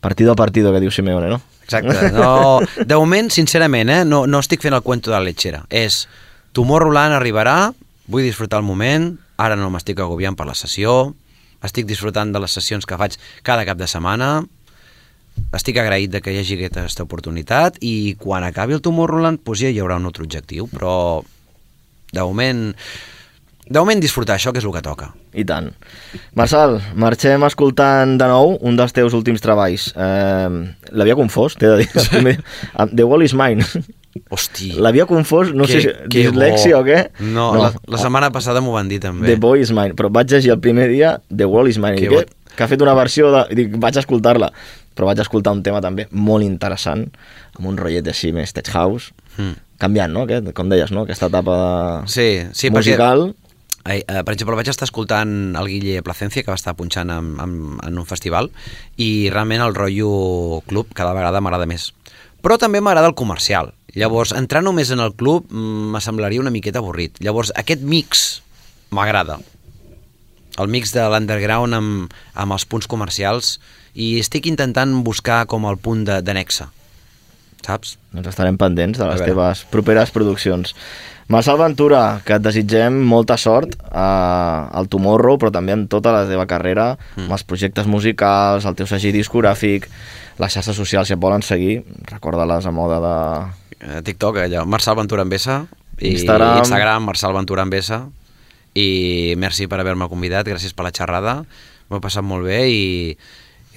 Partido a partido, que diu Simeone, no? Exacte. No, de moment, sincerament, no estic fent el cuento de la lechera. És, Tomorrowland arribarà, vull disfrutar el moment, ara no m'estic agobiant per la sessió, estic disfrutant de les sessions que faig cada cap de setmana, estic agraït de que hi hagi aquesta oportunitat i quan acabi el Tomorrowland doncs ja hi haurà un altre objectiu, però de moment disfrutar això, que és el que toca. I tant. Marçal, marxem escoltant de nou un dels teus últims treballs. L'havia confós, t'he de dir. The Wall is Mine. Hosti. L'havia confós, no sé si dislèxia o què. No, la setmana passada m'ho van dir també. The Boy is Mine, però vaig llegir el primer dia The Wall is Mine. Que ha fet una versió de... Dic, vaig escoltar-la, però vaig escoltar un tema també molt interessant, amb un rotllet així més tech house, canviant, no? Com deies, no? Aquesta etapa musical... Per exemple, vaig estar escoltant el Guille Placencia, que va estar punxant en un festival, i realment el rotllo club cada vegada m'agrada més. Però també m'agrada el comercial. Llavors, entrar només en el club m'assemblaria una miqueta avorrit. Llavors, aquest mix m'agrada. El mix de l'underground amb els punts comercials, i estic intentant buscar com el punt de nexe. Saps? Doncs estarem pendents de les teves properes produccions. Marçal Ventura, que et desitgem molta sort al Tomorrow, però també en tota la teva carrera, amb els projectes musicals, el teu segell discogràfic, les xarxes socials, si et volen seguir, recorda-les a moda de... TikTok, allò, Marçal Ventura en Bessa, i Instagram Marçal Ventura en Bessa, i merci per haver-me convidat, gràcies per la xerrada, m'ho he passat molt bé i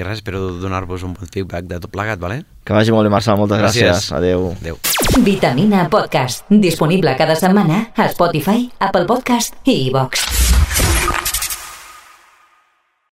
res, espero donar-vos un bon feedback de tot plegat, vale? Que vagi molt bé, Marçal, moltes gràcies. Adéu. Vitamina Podcast, disponible cada setmana a Spotify, Apple Podcast i iVox.